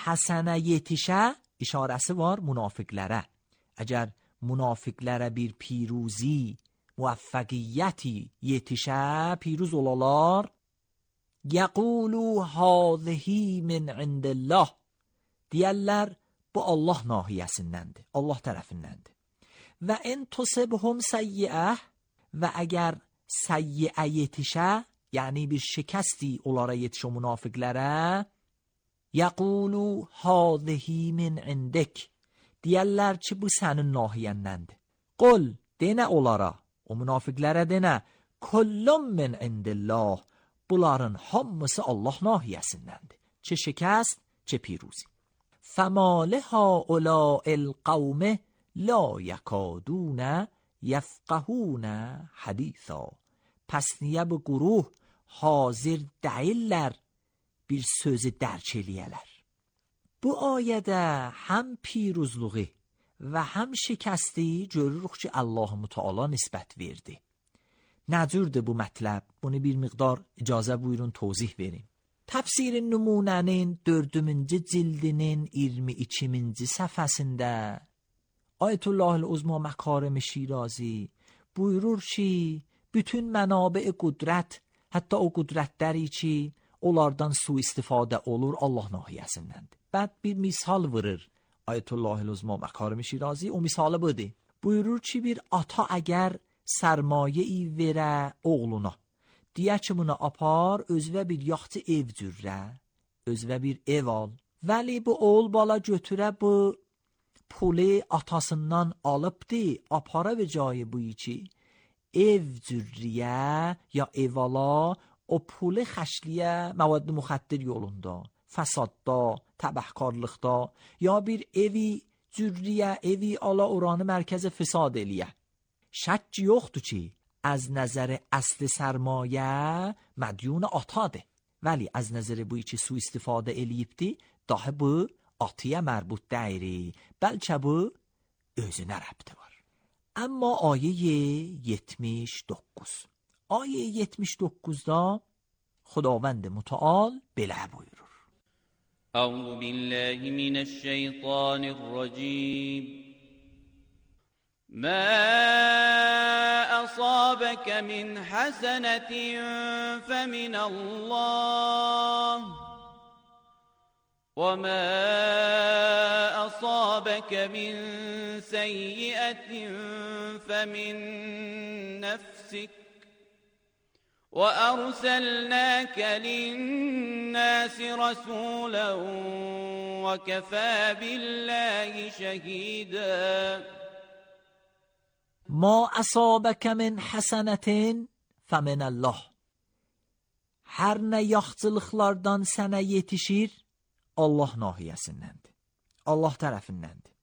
həsənə yetişə, işarəsi var münafiqlərə. Əgər münafiqlərə bir piruzi, müvəffəqiyyəti yetişə, piruz olalar, yəqulu hâzihi min indillah, deyərlər, bu Allah nahiyəsindəndir, Allah tərəfindəndir. Və in tusibhum səyyiə və əgər səyyiə yetişə, yəni bir şikəsti onlara yetişə münafiqlərə, yəqulu hâzihi min indik, deyərlər ki, bu sənin nahiyəndəndir. Qul, denə onlara, o münafiqlərə denə, kullum min indillah, bunların hamısı Allah nahiyəsindəndir. Çə şikəst, çə piruzi. فَمَا لِهَؤُلَاءِ الْقَوْمِ لَا يَكَادُونَ يَفْقَهُونَ حَدِيثًا پس niyə bu quruh hazır deyirlər bir sözü dərk eləyələr. Bu ayədə həm piruzluğu və həm şikəsti görürük ki, Allah-u Müteala nisbət verdi. Nəcürdür bu mətləb? Bunu bir miqdar icazə buyurun tozih verin. Təfsir-i Nümunənin dördüncü cildinin iyirmi ikinci səhifəsində Ayet Allah'ın uzma makarim Şirazi buyurur ki bütün mənabə qudrət, hətta o qudrətləri ki onlardan su istifadə olur Allah nahiyəsindəndir. Bəd bir misal vurur Ayetullah Uzma Makarim Şirazi, o misalı budur. Buyurur ki bir ata əgər sərmayə-i verə oğluna, deyə ki buna apar özvə bir yaxçı ev cürrə, özvə bir ev al. Vəli bu oğul bala götürə bu pulu atasından alıbdı, apara və cayı bu ki ev cürriyə ya evala o pulu xəşliyə məvad müxəddir yolunda, fəsadda, təbəhkarlıqda ya bir evi cürriyə, evi ala oranı mərkəzi fəsad eləyə. Şək yoxdur ki, az nəzər əsli sərmayə mədyun atadır. Vəli az nəzər bu ki su istifadə eləyibdi, daha bu atıya mərbut deyri, bəlkə bu özünə rəbti var. Amma ayə yetmiş doqquz. Ayə yetmiş doqquzda خداوند متعال belə buyurur. أعوذ بالله من الشيطان الرجيم ما أصابك من حسنة فمن الله وما أصابك من سيئة فمن نفسك وأرسلناك للناس رسولا وكفى بالله شهيدا ما أصابك من حسنة فمن الله. Hər nə yaxçılıqlardan sənə yetişir, Allah nahiyəsindəndir, Allah tərəfindəndir.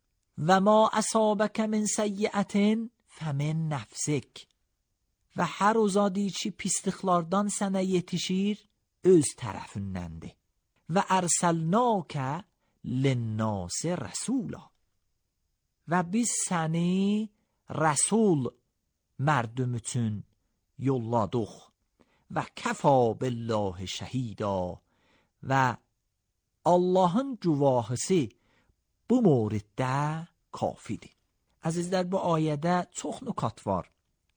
Və ma əsabəkə min səyyiətin fəmin nəfsik. Və hər o zadi ki pisliklardan sənə yetişir, öz tərəfindəndir. Və ərsəlnəkə linnəsi rəsula. Və biz səni rəsul mərdüm üçün yolladıq. Və kəfa billahi şəhida. Və Allahın güvahısı bu moriddə kafidir. Əzizlər, bu ayədə çox nükat var.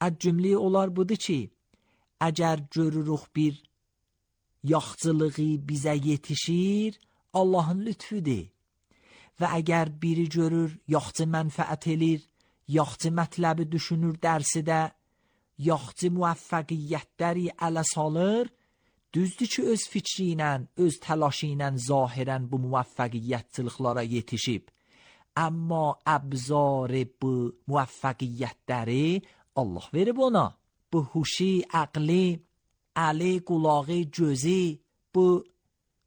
Az cümləyi olar budur ki, əgər görürük bir yaxçılığı bizə yetişir, Allahın lütfüdür. Və əgər biri görür, yaxçı mənfəət elir, yaxçı mətləbi düşünür dərsidə, yaxçı müvəffəqiyyətləri ələ salır, düzdür ki, öz fikri ilə, öz təlaşı ilə zahirən bu müvəffəqiyyətçılıqlara yetişib. Amma əbzarı bu müvəffəqiyyətləri Allah verib ona. Bu huşi, əqli, əli, qulağı, gözü, bu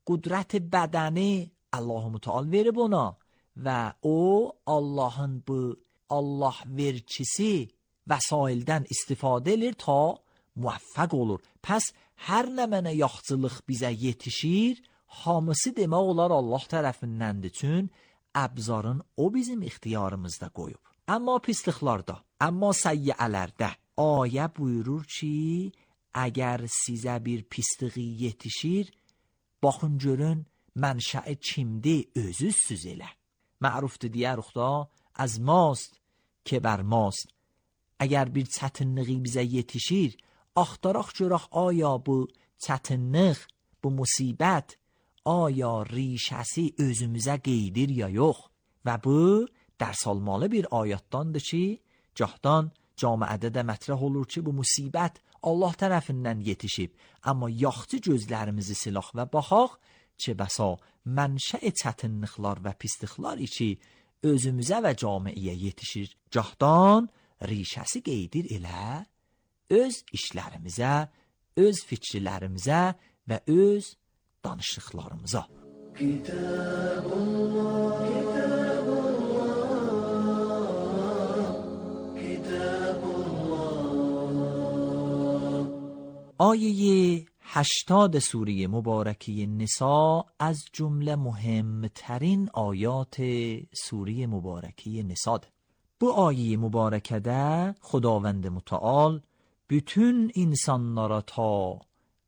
qudrət bədəni Allah-u Müteal verib ona. Və o, Allahın bu Allah verkisi vəsaildən istifadə edir ta müvəffəq olur. Pəs hər nə mənə yaxçılıq bizə yetişir, hamısı demək olar Allah tərəfindəndir. Çün əbzarın o bizim ixtiyarımızda qoyub. Amma pisliklarda, amma səyyələrdə ayə buyurur ki, əgər sizə bir pisliği yetişir, baxın görün mənşəi kimdir, özüzsüz elə. Mərufdur deyərik da, az mast ki bər mast. Əgər bir çətinliği bizə yetişir, axtaraq görək aya bu çətinlik, bu musibət, aya rişəsi özümüzə qeydir ya yox. Və bu dərs almalı bir ayətdandır ki, cahdan camiədə də mətrəh olur ki, bu musibət Allah tərəfindən yetişib. Amma yaxçı gözlərimizi silah və baxaq ki, bəsa mənşə çətinliklər və pisliklər ki, özümüzə və camiəyə yetişir. Cahdan rişəsi qeydir elə öz işlərimizə, öz fikirlərimizə və öz danışıqlarımıza. Kitabullah, kitabullah, kitabullah. آیه هشتاد سوره مبارکه نساء از جمله مهمترین آیات سوره مبارکه نساء. Bu ayı mübarəkədə Xudavənd Müteal bütün insanlara ta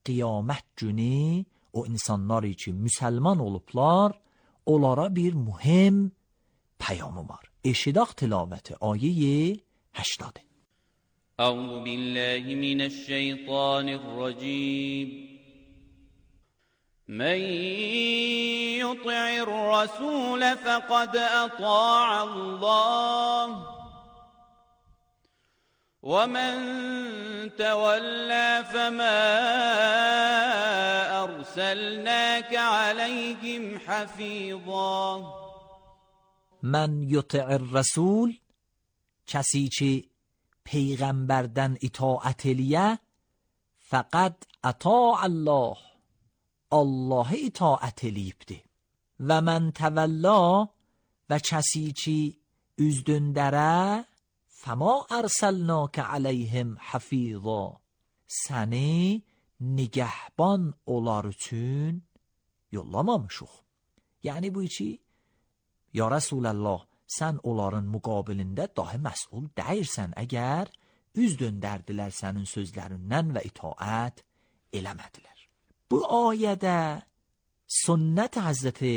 qiyamət günü o insanlar ki müsəlman olublar, onlara bir mühim peyamı var. اشداق تلاوت آیه هشتاده. اعوذ بالله من الشیطان الرجیم من يطع الرسول فقد اطاع الله ومن تولى فما ارسلناك عليهم حفیظا. من یطع الرسول، کسی که پیغمبردن اطاعت لیه، فقط اطاع الله، الله اطاعت لیبده. و من تولا، و کسی که üzdündere، فما ارسلناک علیهم حفیظا، səni nigahban onlar üçün yollamamışıq. Yəni bu içi ya Rasulallah, sən onların müqabilində dahi məsul deyirsən əgər üz döndərdilər sənin sözlərindən və itaət eləmədilər. Bu ayədə sünnət Həzrəti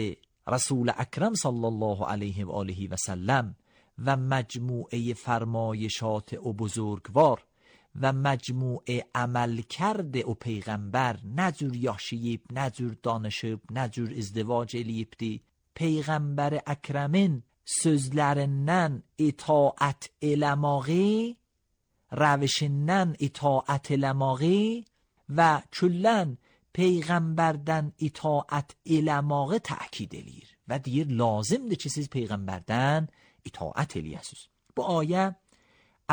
Rasul Əkrəm sallallahu aleyhi və alihi və səlləm و مجموعه فرمایشات او بزرگوار و مجموعه عمل کرده او پیغمبر، نجور یاشیب، نجور دانشب، نجور ازدواج الیبدی، پیغمبر اکرمین sözlərindən itaat eləməyi, rəvişindən itaat eləməyi və küllən peyğəmbərdən itaat eləməyi təkid eləyir və deyir lazımdır ki siz peyğəmbərdən itaat eləyəsiniz. Bu ayə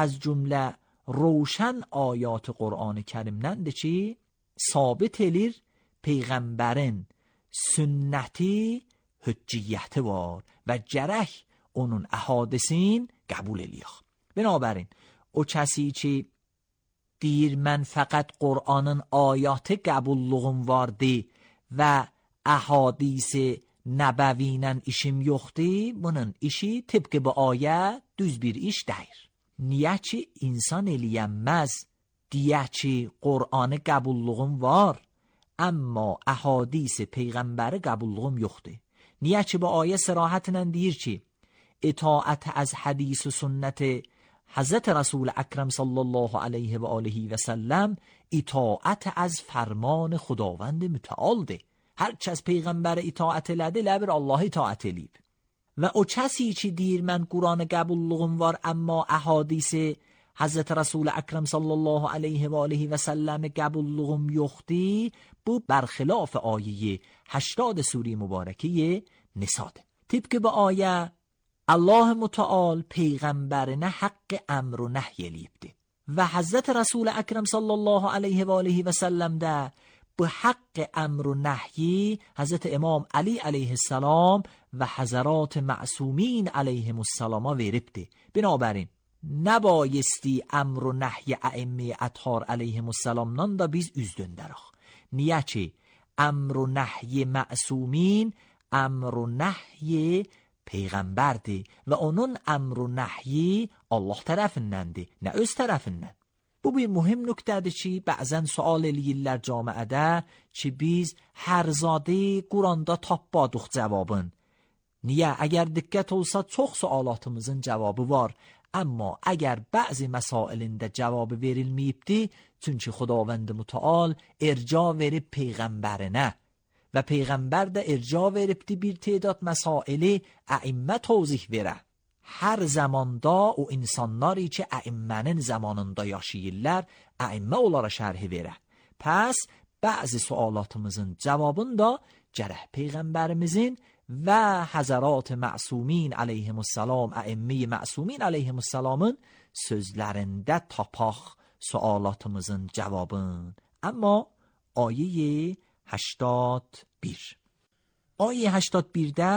az cümlə روشن آیات قرآن کریمدəndir ki sabit elir peyğəmbərin sünnəti hücciyəti var və gərək onun əhadisin qəbul eləyək. Binabərin o kəsi ki deyir mən fəqət Qur'anın ayatı qəbulluğum vardı və əhadis nəbəviylə işim yoxdur, bunun işi tıpkı bu ayə düz bir iş deyir. Niyə ki insan eləyənməz, deyə ki Qur'anı qəbulluğum var, amma əhadis peyğəmbəri qəbulluğum yoxdur. Niyə ki bu ayə sərahətlə deyir ki itaat az hədis و sünnət Hazreti Resul Ekrem sallallahu aleyhi və alihi və səlləm itaat az فرمان خداوند متعالdır. Hər kəs peyğəmbərə itaat elədi, ləbir Allah itaat eləyib. و او کسی چی دیر من قرآن قبوللغم وار اما احادیث حضرت رسول اکرم صلی الله علیه و آله و سلم قبوللغم یختی بو برخلاف آیه هشتاد سوره مبارکه نساده. طبق با آیه الله متعال پیغمبرنه حق امر و نهی لیبده و حضرت رسول اکرم صلی الله علیه و آله و سلم ده به حق امر و نهی حضرت امام علی علیه السلام و حضرات معصومین علیهم السلام ویربده. بنابراین نبایستی امر و نهی ائمه اطهار علیهم السلام نان دا بیز üzdündərək. Niyə ki امر و نهی معصومین امر و نهی peyğəmbərdir və onun امر و نهی Allah tərəfindəndir, nə öz tərəfindən. Bu bir mühim nöqtədir ki, bəzən sual eləyirlər camiədə ki, biz hər zadı Quranda tapmadıq cavabın. Niyə? Əgər diqqət olsa çox sualatımızın cavabı var, amma əgər bəzi məsailində cavabı verilməyibdi, çünki Xudavənd Mütəal irca verib peyğəmbərinə və peyğəmbər də irca veribdi bir تعداد məsaili əimmə tozih verə. Hər zamanda o insanları ki əimmənin zamanında yaşayırlar, əimmə onlara şərhi verə. Pəs bəzi sualatımızın cavabını da gərək peyğəmbərimizin və həzərat məsumin aleyhimussalam, əimmi məsumin aleyhimussalamın sözlərində tapaq sualatımızın cavabın. Amma ayə هشتاد bir. Ayə هشتاد birdə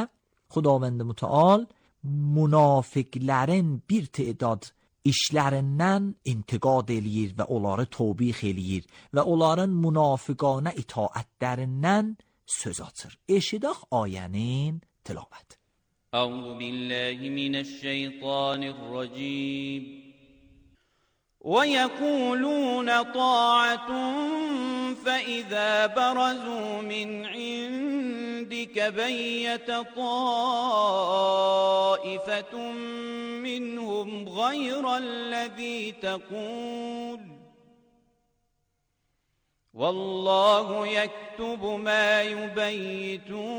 Xudavənd Mütəal münafiqlərin bir تعداد işlərindən intiqad eləyir və onları tövbih eləyir və onların münafiqanə itaətlərindən söz açır. Eşidək ayənin tilavət. Əuzu billahi minəşşeytanirracim. وَيَقُولُونَ طَاعَةٌ فَإِذَا بَرَزُوا مِنْ عِنْدِكَ بك بيت طائفة منهم غير الذي تقول والله يكتب ما يبيتون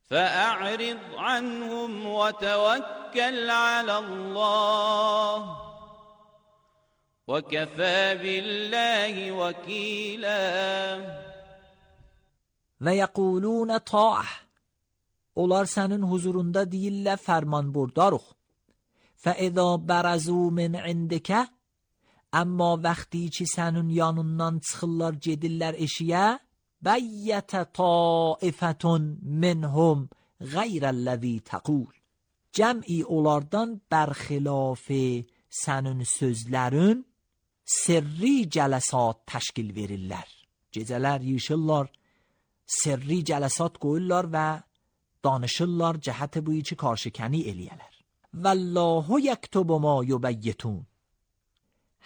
فأعرض عنهم وتوكل على الله وكفى بالله وكیلا. و یقولون طاعه. Onlar sənin huzurunda deyirlər fərman burdarıq. فَإِذَا بَرَزُوا مِنْ عِنْدِكَ. Amma vaxtı ki sənin yanından çıxırlar gedirlər eşiyə, بَيَّتَ طَائِفَةٌ مِنْهُمْ غَيْرَ الَّذِي تَقُولُ. Cəm'i onlardan bərxilaf sənin sözlərin sirri cələsat təşkil verirlər. Gecələr yığışırlar, sirri cələsat qoyurlar və danışırlar cəhət buyi ki karşikəni eləyələr. Vallahu yektubu ma yubayyitun.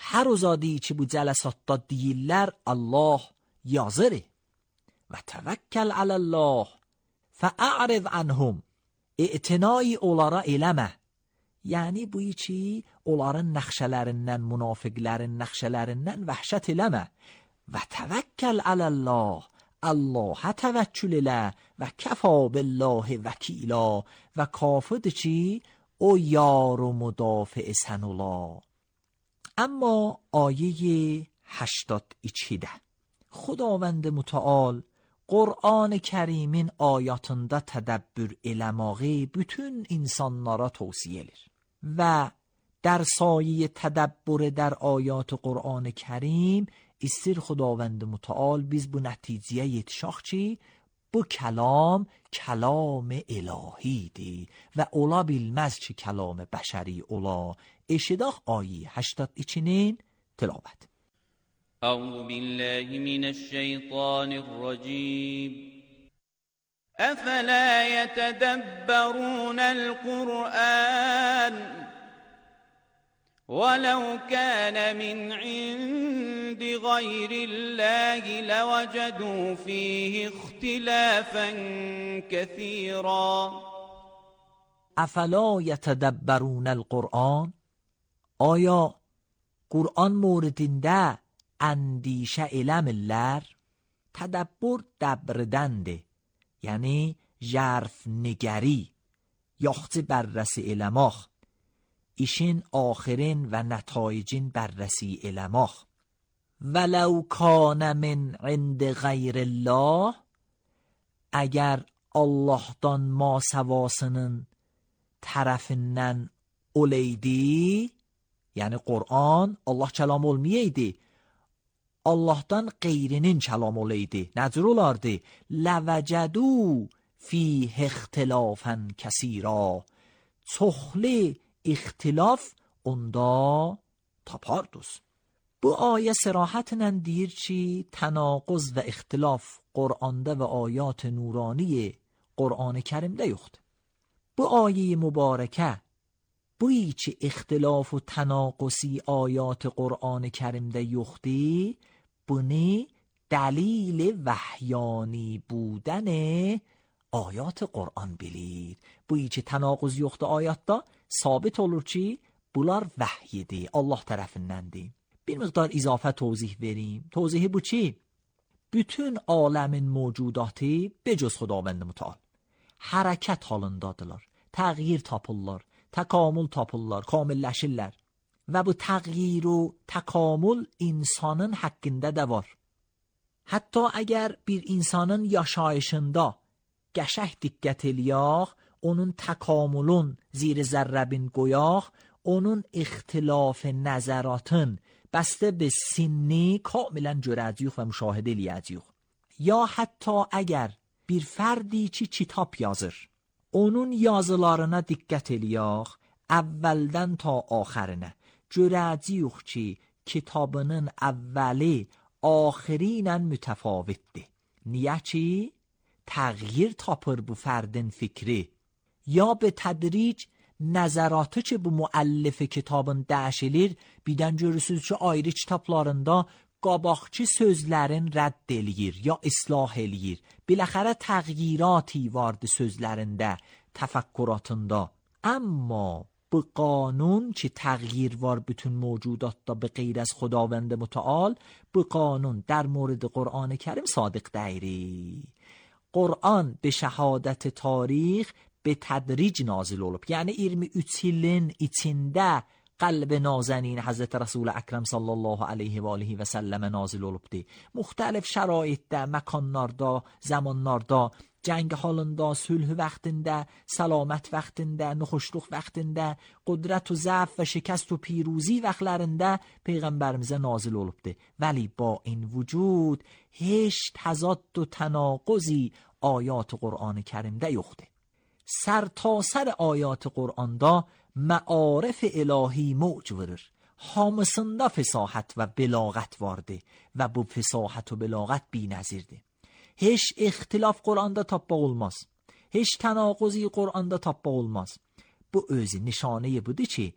Hər uzadi ki bu cələsatda deyirlər Allah yazır. Və təvəkkəl aləllah fəə'rid anhum. İ'tinai onlara eləmə. Yəni buyi ki onların nəxşələrindən, münafiqlərin nəxşələrindən vəhşət eləmə. Və təvəkkəl aləllah. Allah'a təvəkkül elə və kəfa billahi vəkila və kafirdir ki o yar و مدافع sən ola. اما آیه هشتاد و iki خداوند متعال Qur'an-ı Kərimin ayatında tədəbbür eləməyi bütün insanlara tövsiyə edir. Və در سایه تدبر در آیات قرآن کریم استیر خداوند متعال بیز بو نتیجه یتشاخ چی؟ بو کلام کلام الهی دی و اولا بیلمز چی کلام بشری اولا اشداخ آیه هشتاد ایچینین تلاوت. اعوذ بالله من الشیطان الرجیم افلا يتدبرون القرآن ولو كان من عند غير الله لوجدوا فيه اختلافا كثيرا. افلا يتدبرون القرآن آیا قرآن موردinde اندیشه eləmirlər؟ تدبر دبردنده یعنی ژرف نگری yaxçı بررسی eləmək işin آخرین و نتایجین بررسی eləmək. ولو کان من عند غیر الله اگر Allah'tan masavasının tərəfindən oleydi yəni Qur'an Allah kəlam olmayaydı Allah'tan qeyrinin kəlam oleydi nəcür olardı لَوَجَدُوا فِيهِ اخْتِلَافًا كَثِيرًا çoxlu ixtilaf onda tapardız. Bu ayə sərahətlə deyir ki, tənaquz və ixtilaf Qur'anda və ayat nurani Qur'an-ı Kərimdə yoxdur. Bu ayə mübarəkə bu ki ixtilaf و tənaqüsi ayat Qur'an-ı Kərimdə yoxdur, bunu دلیل وحیانی بودن آیات قرآن bilir. Bu ki tənaquz yoxdur ayatda sabit olur ki bunlar vəhyidir, Allah tərəfindəndir. Bir miqdar izafə tozih vereyim. Tozihi bu ki bütün aləmin mövcudatı becüz Xudavənd mütəal hərəkət halındadılar, təğyir tapırlar, təkamül tapırlar, kamilləşirlər və bu təğyir و təkamül insanın haqqında da var. Hətta əgər bir insanın yaşayışında qəşəng diqqət eləyək, onun təkamülün zir zərrəbin qoyaq, onun ixtilaf nəzəratın bəstə به sinni kamilən görəcəyik və müşahidə eləyəcəyik. Ya hətta əgər bir fərdی ki kitab yazır, onun yazılarına diqqət eləyək, əvvəldən ta axərinə görəcəyik ki kitabının əvvəli آخرینن متفاوتdir. Niyə ki təğyir tapır bu fərdin fikri ya به tədric nəzəratı ki bu müəllif kitabın dəşilir birdən görürsünüz ki ayrı kitablarında qabaqçı sözlərin rədd eləyir, ya islah eləyir. Biləxərə təğyirati vardı sözlərində, təfəkküratında. Amma bu qanun ki تغییر var bütün موجودات به غیر از خداوند متعال، bu قانون در مورد قرآن کریم صادق دیری. قرآن به شهادت تاریخ به tədric nazil olub. Yəni iyirmi üç ilin içində qəlb nazenin Hazreti Resul Ekrem sallallahu aleyhi və alihi və səlləmə nazil olubdu. Müxtəlif şəraitdə, məkanlarda, zamanlarda, jang halında, sülh vaxtında, salamət vaxtında, nuxuşluq vaxtında, qudret و ضعف و شکست و پیروزی vaxtlarında peyğəmbərimizə nazil olubdu. ولی با این وجود هیچ تضاد و تناقضی آیات قرآن کریمdə yoxdur. سر تا سر آیات قرآنda معارف الهی موج verir. Hamısında fəsahət və bəlağət vardı və bu fəsahət və bəlağət binəzirdir. Heç ixtilaf Quranda tapmaq olmaz. Heç tənaqüzi Quranda tapmaq olmaz. Bu özü nişanəyi budur ki,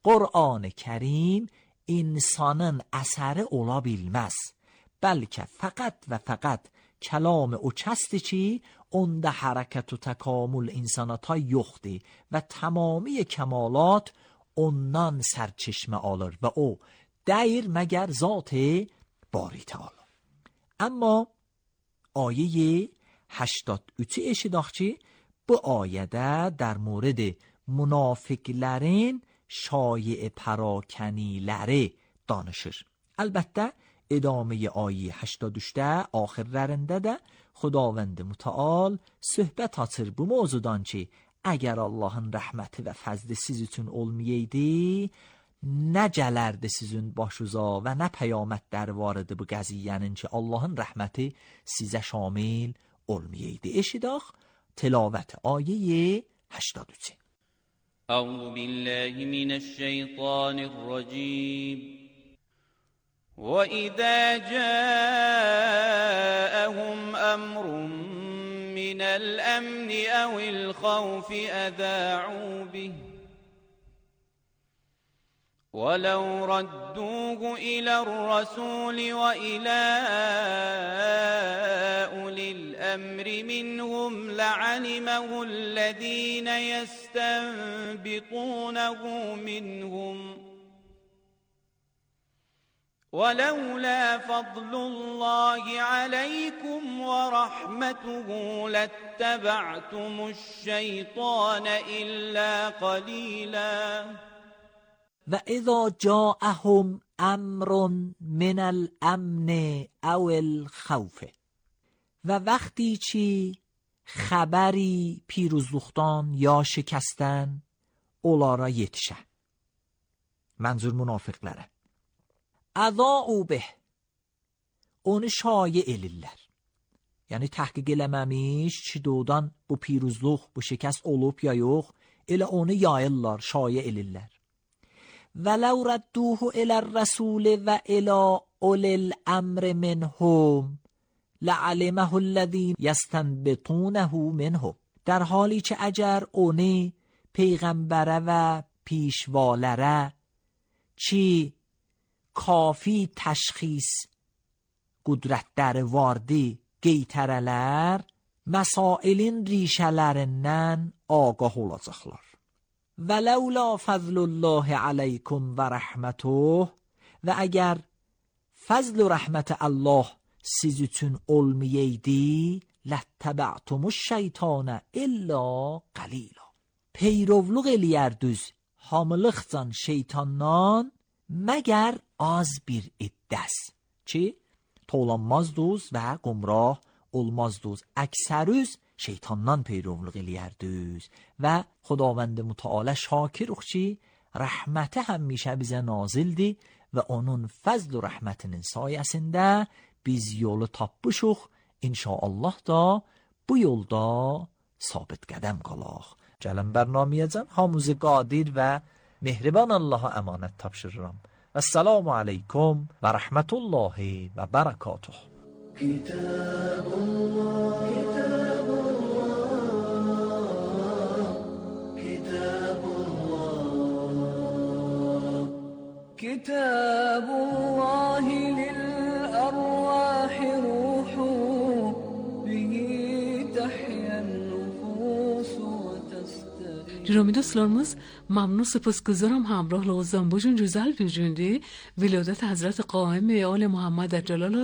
Qur'an-ı Kərim insanın əsəri ola bilməz. Bəlkə fəqət və fəqət kəlam o kəsdir ki, onda hərəkət و təkamül insanata yoxdur və tamami kəmalat ondan sərçişmə alır və o dəyir məgər zat bari təala. Amma آیه هشتاد و سه eşidaq ki, bu ayədə در مورد منافقlərin şایع پراکنیləri danışır. Əlbəttə ادامه آیه هشتاد و سه آخرlərində də خداوند متعال söhbət açır bu mövzudan ki, əgər Allahın rəhməti və fəzli siz üçün olmayaydı, nə gələrdi sizin başuza və nə peyamətlər var idi bu qəziyyənin ki, Allahın rəhməti sizə şamil olmayaydı. Eşidaq tilavət ayə هشتاد و سه. أعوذ بالله من الشيطان الرجيم. وإذا جاءهم أمر من الأمن أو الخوف أذاعوا به ولو ردوه إلى الرسول وإلى أولي الأمر منهم لعلمه الذين يستنبطونه منهم ولولا فضل الله عليكم ورحمته لاتبعتم الشيطان إلا قليلا. و اذا جاءهم امر من الامن او الخوف و وقتی چی خبری پیروزلوختان یا شکستن onlara yetişə. Mənzur münafıqlara. Əzau bih. Onu şayə elirlər. Yəni təhqiq eləməmiş ki, doğudan bu piruzluq, bu şikəst olub ya yox, elə onu yayırlar, şayə elirlər. وَلَوْ رَدُّوهُ إِلَى الرَّسُولِ وَإِلَى أُولِي الْأَمْرِ مِنْهُمْ لَعَلِمَهُ الَّذِينَ يَسْتَنبِطُونَهُ مِنْهُ. در حالی که اگر اونی پیغمبره و پیشوالره چی کافی تشخیص قدرت در واردی geytərələr məsailin rişələrindən ağah olacaqlar. Və ləulə fəzlullahi aleykum və rəhmətuh və əgər fəzl və rəhmət Allah siz üçün olmayaydı, لَتَّبَعْتُمُ الشَّيْطَانَ إِلَّا قَلِيلًا. Peyrovluq eləyərdüz hamılıqcan şeytandan məgər az bir iddəs ki, tolanmazduz və qumrah olmazduz. Əksərüz şeytandan peyrovluq eləyərdüz və Xudavənd mütəalə şakiruq ki, rəhməti həmişə bizə nazildir və onun fəzl və rəhmətinin sayəsində biz yolu tapmışıq. İnşaallah da bu yolda sabit qədəm qalaq. Gəlin bərnamiyəcəm hamımızı qadir və mehriban Allaha əmanət tapşırıram. السلام عليكم ورحمة الله وبركاته. كتاب الله كتاب الله كتاب الله كتاب الله للأبرار Diromi dostlarımız mamnun سپاسگزارم همراه لغزان بوجون جزال بیجوندی ولادت حضرت قائم آل محمد جلال